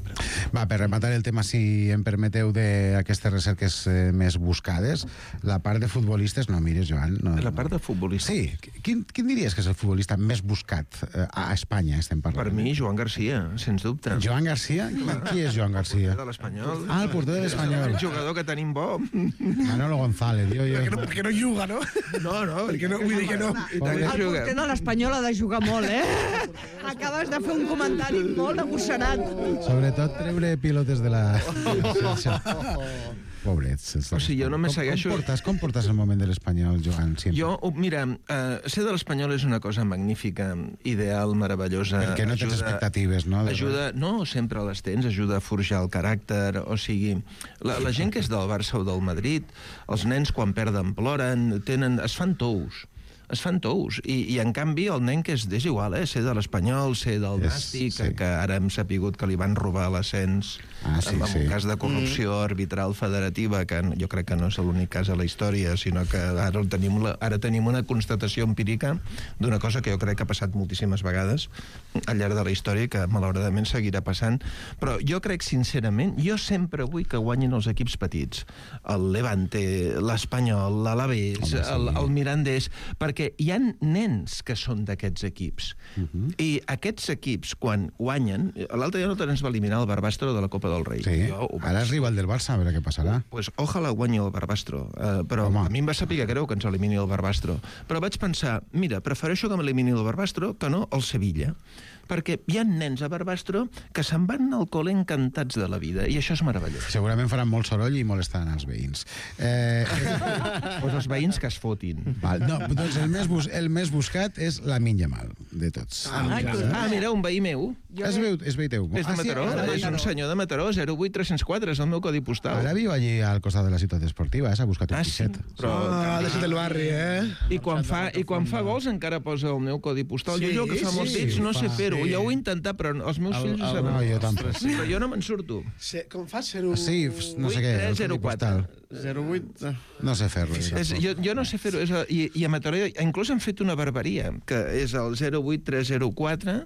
Va, per rematar el tema, si em permeteu, d'aquestes recerques més buscades, la part de futbolistes, no mires, Joan... La part de futbolistes? Sí. Quin diries que és el futbolista més buscat a Espanya, estem parlant? Per mi, Joan Garcia, sens dubte. Joan Garcia? Qui és Joan Garcia? El porter de l'Espanyol. Ah, el porter de l'Espanyol. El jugador que tenim bo. Manolo González. Perquè no juga, no? No, perquè no, vull dir que no. El porter de l'Espanyol ha de jugar molt, Acabes de fer un comentari molt agosserat. Sobretot treure pilotes de la... Pobrets. O sigui, jo no me segueixo... Com portes el moment de l'Espanyol, Joan? Jo, mira, ser de l'Espanyol és una cosa magnífica, ideal, meravellosa. Perquè no tens expectatives, no? No, sempre les tens, ajuda a forjar el caràcter, o sigui, la gent que és del Barça o del Madrid, els nens quan perden ploren, es fan tous, i en canvi el nen que és igual, ser de l'Espanyol, ser del Nàstic, que ara hem sapigut que li van robar l'ascens en un cas de corrupció arbitral federativa, que jo crec que no és l'únic cas a la història, sinó que ara tenim una constatació empírica d'una cosa que jo crec que ha passat moltíssimes vegades al llarg de la història i que malauradament seguirà passant, però jo crec sincerament, jo sempre vull que guanyin els equips petits, el Levante, l'Espanyol, l'Alavés, el Mirandés, perquè hi ha nens que són d'aquests equips. I aquests equips, quan guanyen... L'altre dia no ens va eliminar el Barbastro de la Copa del Rei. Sí, ara és rival del Barça, a veure què passarà. Pues ojalà guanyi el Barbastro. Però a mi em va saber greu que ens elimini el Barbastro. Però vaig pensar, mira, prefereixo que m'elimini el Barbastro que no el Sevilla. Perquè hi ha nens a Barbastro que se'n van al col·le encantats de la vida, i això és meravellós. Segurament faran molt soroll i molestaran els veïns. Pues els veïns que es fotin. No, doncs el més buscat és Lamine Yamal, de tots. Mira, un veí meu. És veí teu. És de Mataró, és un senyor de Mataró, 08304, és el meu codi postal. Ara viu allí al costat de la ciutat esportiva, s'ha buscat un piset. Deixa't el barri, I quan fa gols encara posa el meu codi postal. Jo que fa molts dits no sé fer-ho. Jo ho he intentat, però els meus fills ho saben. No, jo tampoc. Però jo no me'n surto. Com fa 0... Sí, no sé què. 0304. 08... No sé fer-lo. Jo no sé fer-ho. I a Mataró inclús han fet una barbaria, que és el 08304,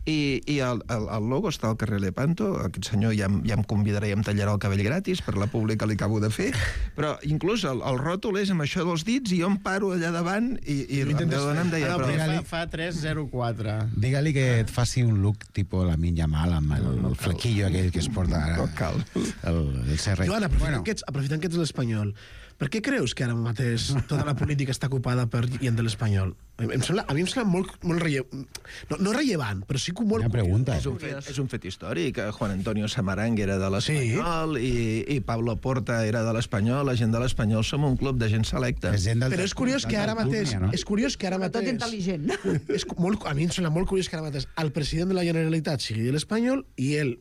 i el logo està al carrer Lepanto. Aquest senyor ja em convidarà i em tallarà el cabell gratis per la pública que li acabo de fer, però inclús el ròtol és amb això dels dits i jo em paro allà davant i la meva dona em deia... Fa 304. Digue-li que et faci un look tipus Lamine Yamal amb el flequillo aquell que es porta ara. El CR. Joan, aprofitant que ets l'Espanyol, per què creus que ara mateix tota la política està ocupada per gent de l'Espanyol? A mi em sembla molt rellevant. No rellevant, però sí que molt... És un fet històric. Juan Antonio Samaranch era de l'Espanyol i Pablo Porta era de l'Espanyol. La gent de l'Espanyol som un club de gent selecta. Però és curiós que ara mateix... Tot intel·ligent. A mi em sembla molt curiós que ara mateix el president de la Generalitat sigui de l'Espanyol i el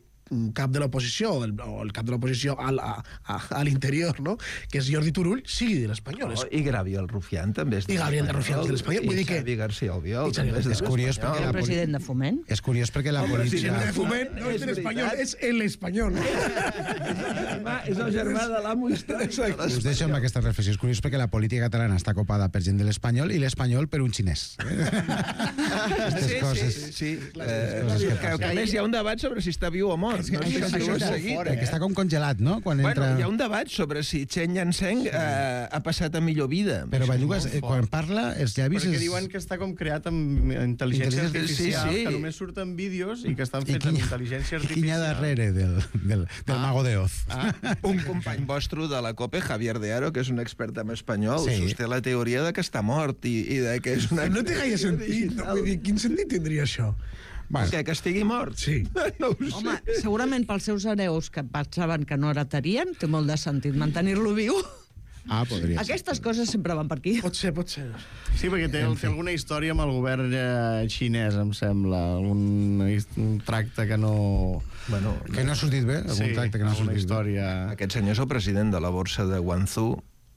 cap de l'oposició, o el cap de l'oposició a l'interior, no? Que és Jordi Turull, sigui de l'Espanyol. I Gabriel Rufián també és de l'Espanyol. I Gabriel Rufián és de l'Espanyol. I Xavi García Albiol també és de l'Espanyol. El president de Foment. És curiós perquè la política... El president de Foment no és de l'Espanyol, és l'Espanyol. És el germà de l'amo històric. Us deixo amb aquesta reflexió. És curiós perquè la política catalana està copada per gent de l'Espanyol i l'Espanyol per un xinès. Sí. Que a més hi ha un debat sobre si està viu o mort. mort. No sé si ho has seguit. Que està com congelat, no? Bueno, hi ha un debat sobre si Chen Yanseng ha passat a millor vida. Però Bellugues, quan parla, els llavis... Perquè diuen que està com creat amb intel·ligència artificial, que només surten vídeos i que estan fets amb intel·ligència artificial. I quin hi ha darrere del Mago de Oz? Un company vostre de la COPE, Javier de Aro, que és un expert en espanyol, sosté la teoria de que està mort i de que és una... No té gaire sentit. Quin sentit tindria això? Que estigui mort? Sí. No ho sé. Home, segurament pels seus hereus que pensaven que no heretarien, té molt de sentit mantenir-lo viu. Podria ser. Aquestes coses sempre van per aquí. Pot ser. Sí, perquè té alguna història amb el govern xinès, em sembla. Un tracte que no... Bueno, que no ha sortit bé, algun tracte que no ha sortit bé. Aquest senyor és el president de la borsa de Guangzhou,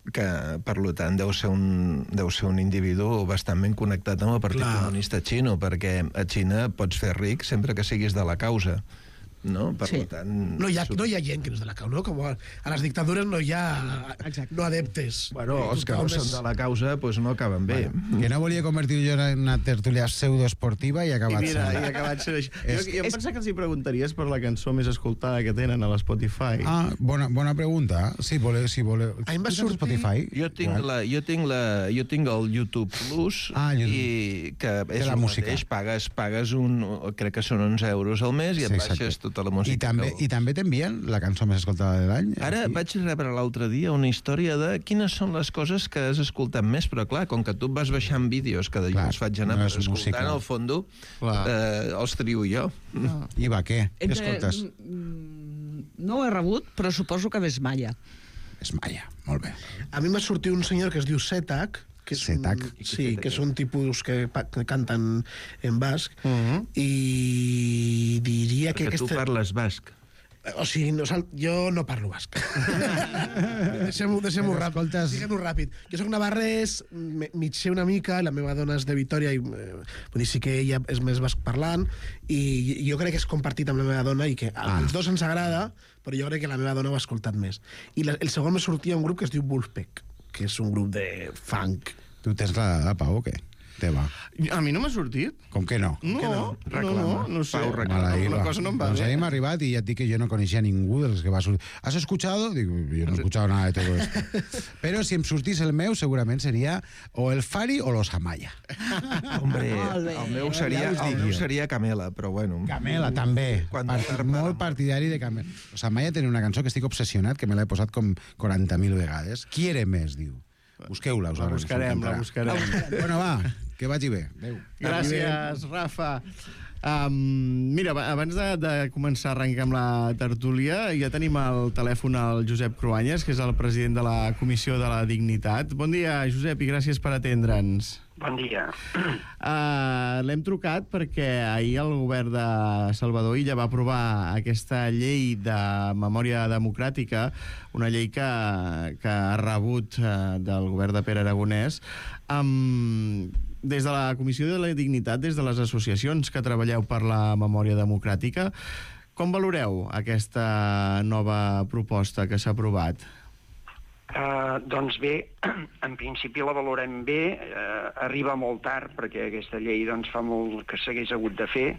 que, per tant, deu ser un individu bastant ben connectat amb el Partit Comunista Xino, perquè a Xina pots fer ric sempre que siguis de la causa. No? Per tant... No hi ha gent que no és de la causa, no? Com a les dictadures no hi ha no adeptes. Bueno, els que no són de la causa doncs no acaben bé. Que no volia convertir jo en una tertúlia pseudoesportiva i ha acabat sent. I ha acabat sent així. Jo em penso que els hi preguntaries per la cançó més escoltada que tenen a l'Spotify. Bona pregunta. Si voleu... A mi va sortir... Spotify? Jo tinc el YouTube Plus i que és el mateix. Pagues crec que són 11 euros al mes i et baixes tota la música. I també t'envien la cançó més escoltada de l'any? Ara vaig rebre l'altre dia una història de quines són les coses que has escoltat més, però clar, com que tu vas baixant vídeos que jo els faig anar per escoltar, en el fondo els trio jo. I va, què? Què escoltes? No ho he rebut, però suposo que és Maya. És Maya, molt bé. A mi m'ha sortit un senyor que es diu Setak, que són tipus que canten en basc, i diria que... Perquè tu parles basc. O sigui, jo no parlo basc. Deixem-ho ràpid. Diguem-ho ràpid. Jo soc navarrès, mig sé una mica, la meva dona és de Vitòria, i vull dir, sí que ella és més basc parlant, i jo crec que és compartit amb la meva dona, i que als dos ens agrada, però jo crec que la meva dona ho ha escoltat més. I el segon me sortia un grup que es diu Wolfpack, que és un grup de funk. Tu tens la Pau o què? Teva. A mi no m'ha sortit. Com que no? No sé. Pau reclama. Una cosa no em va bé. A mi m'ha arribat i ja et dic que jo no coneixia ningú dels que va sortir. ¿Has escuchado? Digo, yo no he escuchado nada de todo esto. Pero si em sortís el meu, segurament seria o el Fari o los Amaya. Hombre, el meu seria Camela, però bueno. Camela, també. Molt partidari de Camela. Los Amaya tenen una cançó que estic obsessionat, que me l'he posat com 40.000 vegades. Quiere més, diu. Busqueu-la. La buscarem. Bueno, va, que vagi bé. Adéu. Gràcies, Rafa. Mira, abans de començar a arrencar amb la tertúlia, ja tenim al telèfon el Josep Cruanyes, que és el president de la Comissió de la Dignitat. Bon dia, Josep, i gràcies per atendre'ns. Bon dia. L'hem trucat perquè ahir el govern de Salvador Illa va aprovar aquesta llei de memòria democràtica, una llei que ha rebut del govern de Pere Aragonès. Des de la Comissió de la Dignitat, des de les associacions que treballeu per la memòria democràtica, com valoreu aquesta nova proposta que s'ha aprovat? Doncs bé, en principi la valorem bé, arriba molt tard perquè aquesta llei fa molt que s'hagués hagut de fer,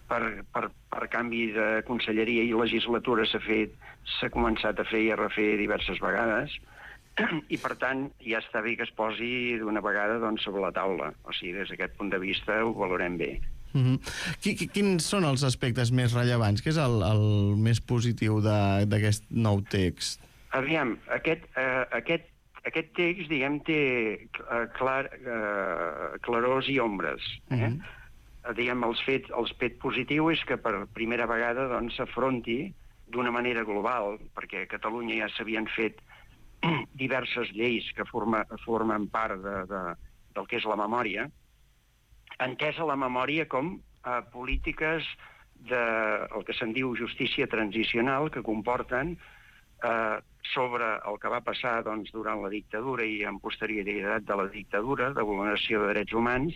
per canvi de conselleria i legislatura s'ha començat a fer i a refer diverses vegades, i per tant ja està bé que es posi d'una vegada sobre la taula. O sigui, des d'aquest punt de vista ho valorem bé. Quins són els aspectes més rellevants? Què és el més positiu d'aquest nou text? Aviam, aquest text, diguem, té clarors i ombres. Diguem, el fet positiu és que per primera vegada s'afronti d'una manera global, perquè a Catalunya ja s'havien fet diverses lleis que formen part del que és la memòria, entesa la memòria com polítiques del que se'n diu justícia transicional, que comporten sobre el que va passar durant la dictadura i en posterioritat de la dictadura, de vulneració de drets humans,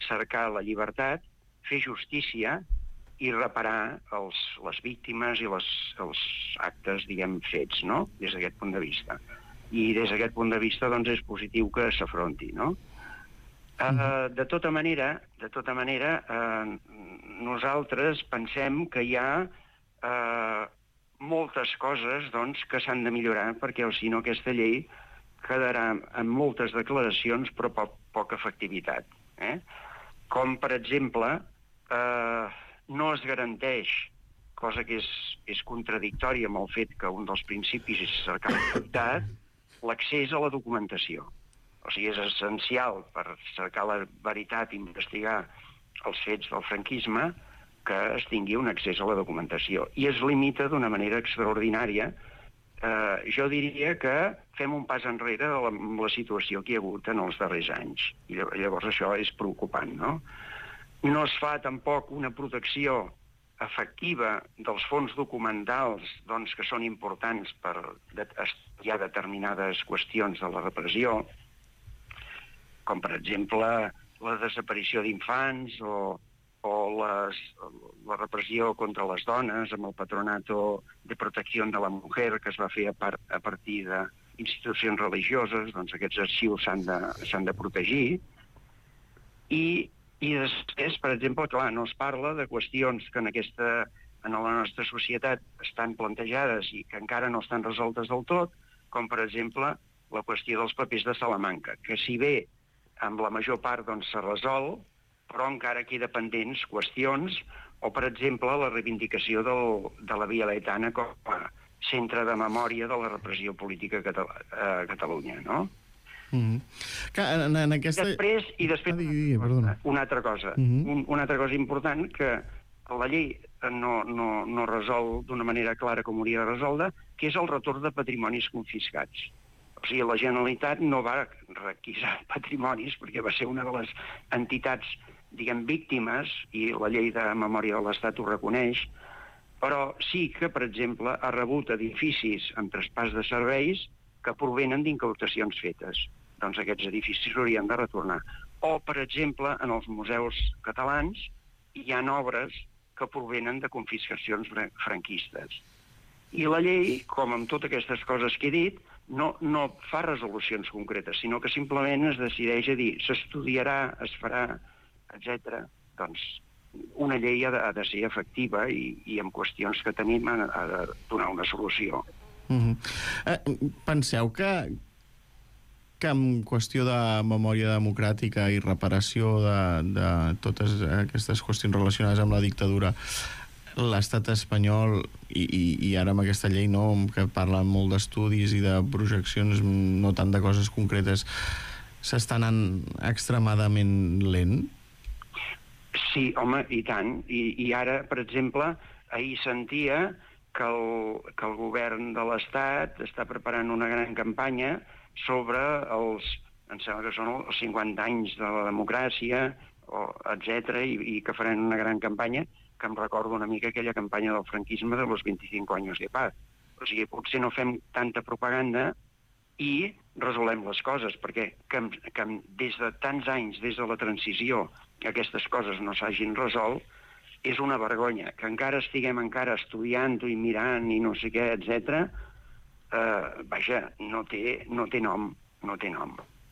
cercar la llibertat, fer justícia i reparar les víctimes i els actes, diguem, fets, no?, des d'aquest punt de vista. I des d'aquest punt de vista, és positiu que s'afronti, no? De tota manera, nosaltres pensem que hi ha moltes coses doncs, que s'han de millorar, perquè si no aquesta llei quedarà amb moltes declaracions però poca efectivitat. Com, per exemple, no es garanteix, cosa que és contradictòria amb el fet que un dels principis és cercar la veritat, l'accés a la documentació. O sigui, és essencial per cercar la veritat i investigar els fets del franquisme que es tingui un accés a la documentació. I es limita d'una manera extraordinària. Jo diria que fem un pas enrere amb la situació que hi ha hagut en els darrers anys. I llavors això és preocupant, no? No es fa tampoc una protecció efectiva dels fons documentals doncs, que són importants per estudiar determinades qüestions de la repressió, com per exemple la desaparició d'infants o la repressió contra les dones amb el Patronato de Protecció de la Mujer que es va fer a partir d'institucions religioses, doncs aquests arxius s'han de protegir. I després, per exemple, clar, no es parla de qüestions que en la nostra societat estan plantejades i que encara no estan resoltes del tot, com per exemple la qüestió dels papers de Salamanca, que si bé amb la major part doncs, s'ha resolt, però encara queda pendents qüestions, o per exemple la reivindicació de la Via Laietana com a centre de memòria de la repressió política a Catalunya, no? Després, una altra cosa. Una altra cosa important que la llei no resol d'una manera clara com hauria de resoldre, que és el retorn de patrimonis confiscats. O sigui, la Generalitat no va requisar patrimonis perquè va ser una de les entitats, diguem, víctimes, i la llei de memòria de l'Estat ho reconeix, però sí que, per exemple, ha rebut edificis amb traspàs de serveis que provenen d'incautacions fetes. Doncs aquests edificis s'haurien de retornar. O, per exemple, en els museus catalans hi ha obres que provenen de confiscacions franquistes. I la llei, com amb totes aquestes coses que he dit, no fa resolucions concretes, sinó que simplement es decideix a dir s'estudiarà, es farà, etc. Doncs una llei ha de ser efectiva i en qüestions que tenim ha de donar una solució. Penseu que en qüestió de memòria democràtica i reparació de totes aquestes qüestions relacionades amb la dictadura, l'estat espanyol, i ara amb aquesta llei que parla molt d'estudis i de projeccions, no tant de coses concretes, s'està anant extremadament lent? Sí, home, i tant. I ara, per exemple, ahir sentia que el govern de l'Estat està preparant una gran campanya sobre em sembla que són els 50 anys de la democràcia, etc., i que faran una gran campanya que em recorda una mica aquella campanya del franquisme de los 25 anys de paz. O sigui, potser no fem tanta propaganda i resolem les coses, perquè que des de tants anys, des de la transició, que aquestes coses no s'hagin resolt, és una vergonya. Que encara estiguem estudiant-ho i mirant i no sé què, etc., vaja, no té nom.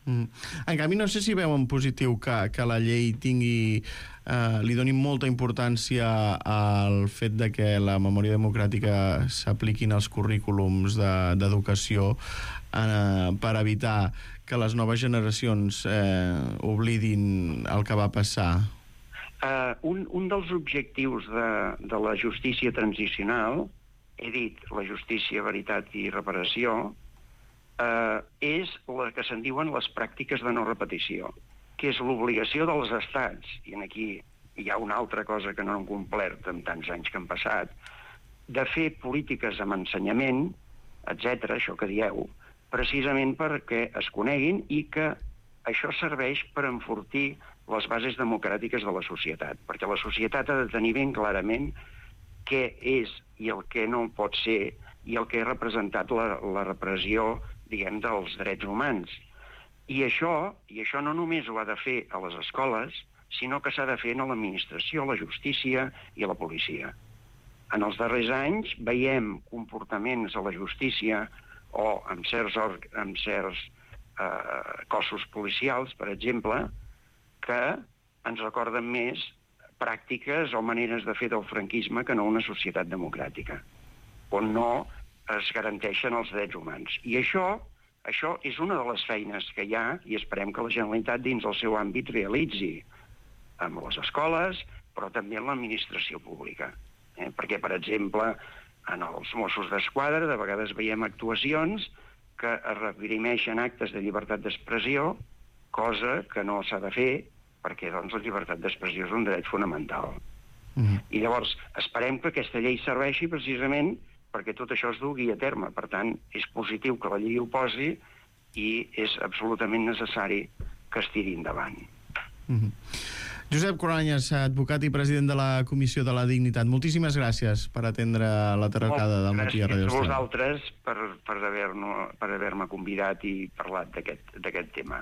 En canvi, no sé si veu en positiu que la llei li doni molta importància al fet de que la memòria democràtica s'apliquin als currículums d'educació per evitar que les noves generacions oblidin el que va passar. Un dels objectius de la justícia transicional, he dit la justícia, veritat i reparació, és la que se'n diuen les pràctiques de no repetició, que és l'obligació dels estats, i aquí hi ha una altra cosa que no han complert en tants anys que han passat, de fer polítiques amb ensenyament, etc., això que dieu, precisament perquè es coneguin i que això serveix per enfortir les bases democràtiques de la societat, perquè la societat ha de tenir ben clarament què és i el que no pot ser i el que ha representat la repressió, diguem, dels drets humans. I això no només ho ha de fer a les escoles, sinó que s'ha de fer a l'administració, a la justícia i a la policia. En els darrers anys veiem comportaments a la justícia o en certs cossos policials, per exemple, que ens recorden més pràctiques o maneres de fer del franquisme que no una societat democràtica, on no es garanteixen els drets humans. I això és una de les feines que hi ha i esperem que la Generalitat dins el seu àmbit realitzi amb les escoles, però també en l'administració pública. Perquè, per exemple, en els Mossos d'Esquadra de vegades veiem actuacions que es reprimeixen actes de llibertat d'expressió, cosa que no s'ha de fer perquè doncs, la llibertat d'expressió és un dret fonamental. I llavors esperem que aquesta llei serveixi precisament perquè tot això es dugui a terme. Per tant, és positiu que la llei ho posi i és absolutament necessari que es tiri endavant. Josep Cruanyes, advocat i president de la Comissió de la Dignitat, moltíssimes gràcies per atendre la trucada del matí a Radio Estel. Gràcies a vosaltres per haver-me convidat i parlat d'aquest tema.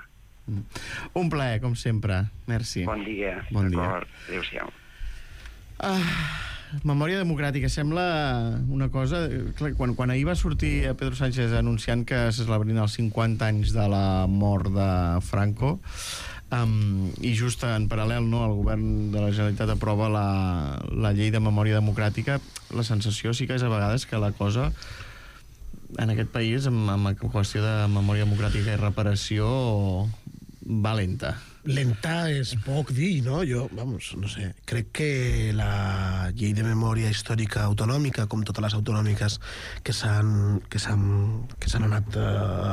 Un plaer, com sempre. Merci. Bon dia. Bon dia. Adéu-siau. Memòria democràtica sembla una cosa... Quan ahir va sortir Pedro Sánchez anunciant que se celebrien els 50 anys de la mort de Franco, i just en paral·lel el govern de la Generalitat aprova la llei de memòria democràtica, la sensació sí que és a vegades que la cosa en aquest país, amb qüestió de memòria democràtica i reparació, va lenta. Lenta és poc dir, no? Jo, no sé, crec que la llei de memòria històrica autonòmica, com totes les autonòmiques que s'han anat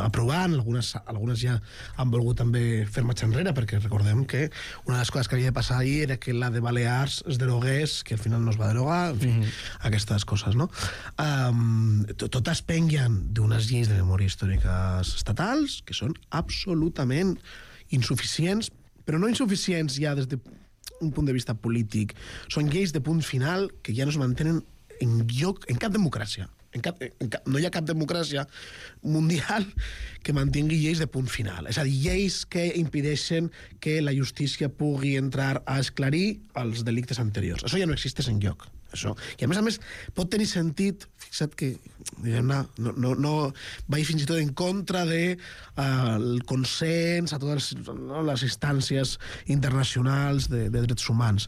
aprovant, algunes ja han volgut també fer marxa enrere, perquè recordem que una de les coses que havia de passar ahir era que la de Balears es derogués, que al final no es va derogar, en fi, aquestes coses, no? Totes pengen d'unes lleis de memòria històriques estatals que són absolutament insuficients, però no insuficients ja des d'un punt de vista polític. Són lleis de punt final que ja no es mantenen en cap democràcia. No hi ha cap democràcia mundial que mantingui lleis de punt final. És a dir, lleis que impedeixen que la justícia pugui entrar a esclarir els delictes anteriors. Això ja no existeix enlloc. Això. I a més, pot tenir sentit, fixa't que no vaig fins i tot en contra del consens a totes les instàncies internacionals de drets humans.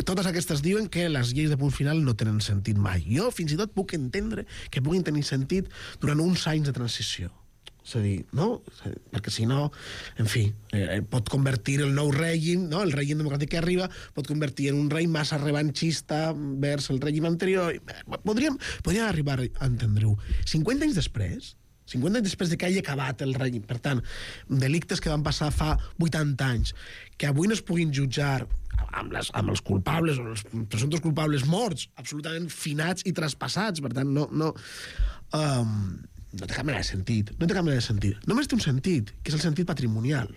Totes aquestes diuen que les lleis de punt final no tenen sentit mai. Jo fins i tot puc entendre que puguin tenir sentit durant uns anys de transició. És a dir, no? Perquè si no, en fi, pot convertir el nou règim, no? El règim democràtic que arriba, pot convertir en un rei massa revanxista vers el règim anterior. Podríem arribar a entendre-ho. 50 anys després de que hagi acabat el règim, per tant, delictes que van passar fa 80 anys, que avui no es puguin jutjar amb els culpables o els presumptes culpables morts, absolutament finats i traspassats, per tant, no té cap mena de sentit. Només té un sentit, que és el sentit patrimonial.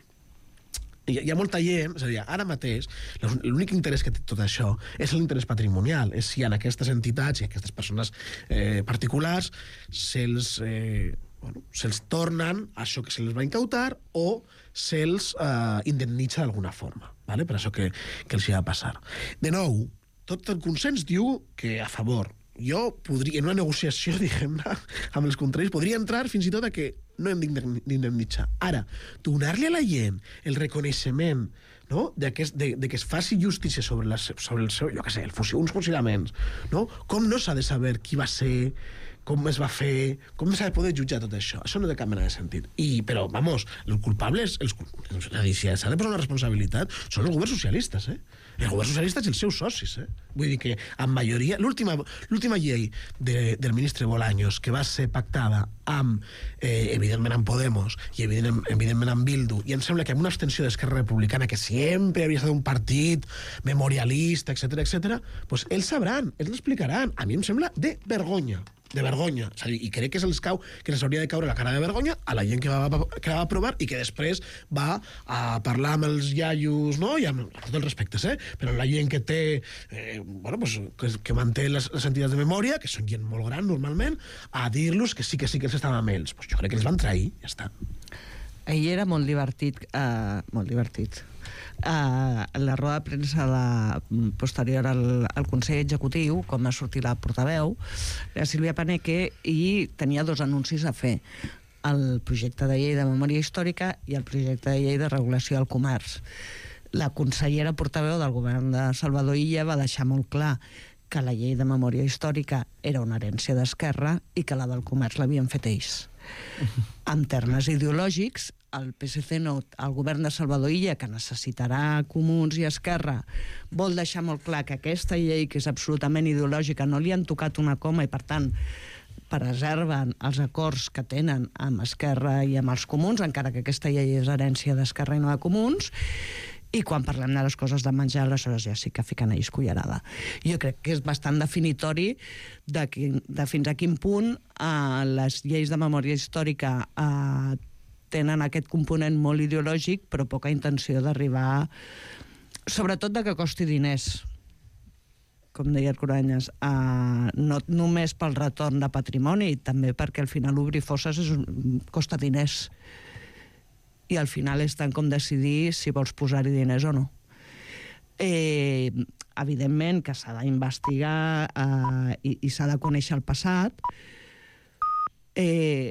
Hi ha molta gent, és a dir, ara mateix, l'únic interès que té tot això és l'interès patrimonial, és si en aquestes entitats i aquestes persones particulars se'ls tornen això que se'ls va incautar o se'ls indemnitza d'alguna forma, per això que els hi ha de passar. De nou, tot el consens diu que a favor. Jo podria, en una negociació, diguem-ne, amb els contraris, podria entrar fins i tot a que no hem d'indemnitzar. Ara, donar-li a la gent el reconeixement, no?, de que es faci justícia sobre el seu, jo què sé, uns fusilaments, no? Com no s'ha de saber qui va ser, com es va fer, com s'ha de poder jutjar tot això? Això no té cap mena de sentit. Però, vamos, els culpables, si s'ha de posar una responsabilitat, són els governs socialistes, els governs socialistes i els seus socis, Vull dir que, en majoria, l'última llei del ministre Bolaños, que va ser pactada amb, evidentment, amb Podemos i, evidentment, amb Bildu, i em sembla que amb una abstenció d'Esquerra Republicana, que sempre havia estat un partit memorialista, etc., doncs ells sabran, ells l'explicaran. A mi em sembla de vergonya. És a dir, i crec que se'ls hauria de caure la cara de vergonya a la gent que va aprovar i que després va a parlar amb els iaios, no? I amb tots els respectes, però la gent que té que manté les entitats de memòria, que són gent molt gran normalment, a dir-los que sí que ells estaven amb ells. Jo crec que els van trair, ja està. Ahir era molt divertit. La roda de premsa posterior al Consell Executiu, com va sortir la portaveu, la Sílvia Paneque, i tenia dos anuncis a fer: el projecte de llei de memòria històrica i el projecte de llei de regulació del comerç. La consellera portaveu del govern de Salvador Illa va deixar molt clar que la llei de memòria històrica era una herència d'Esquerra i que la del comerç l'havien fet ells. En termes ideològics, el PSC, el govern de Salvador Illa, que necessitarà Comuns i Esquerra, vol deixar molt clar que aquesta llei, que és absolutament ideològica, no li han tocat una coma i, per tant, preserven els acords que tenen amb Esquerra i amb els Comuns, encara que aquesta llei és herència d'Esquerra i no de Comuns, i quan parlem de les coses de menjar, aleshores ja sí que fiquen ells cullerada. Jo crec que és bastant definitori de fins a quin punt les lleis de memòria històrica tenen aquest component molt ideològic, però poca intenció d'arribar, sobretot de que costi diners, com deia el Cruanyes, no només pel retorn de patrimoni, també perquè al final obrir fosses costa diners. I al final és tant com decidir si vols posar-hi diners o no. Evidentment que s'ha d'investigar i s'ha de conèixer el passat,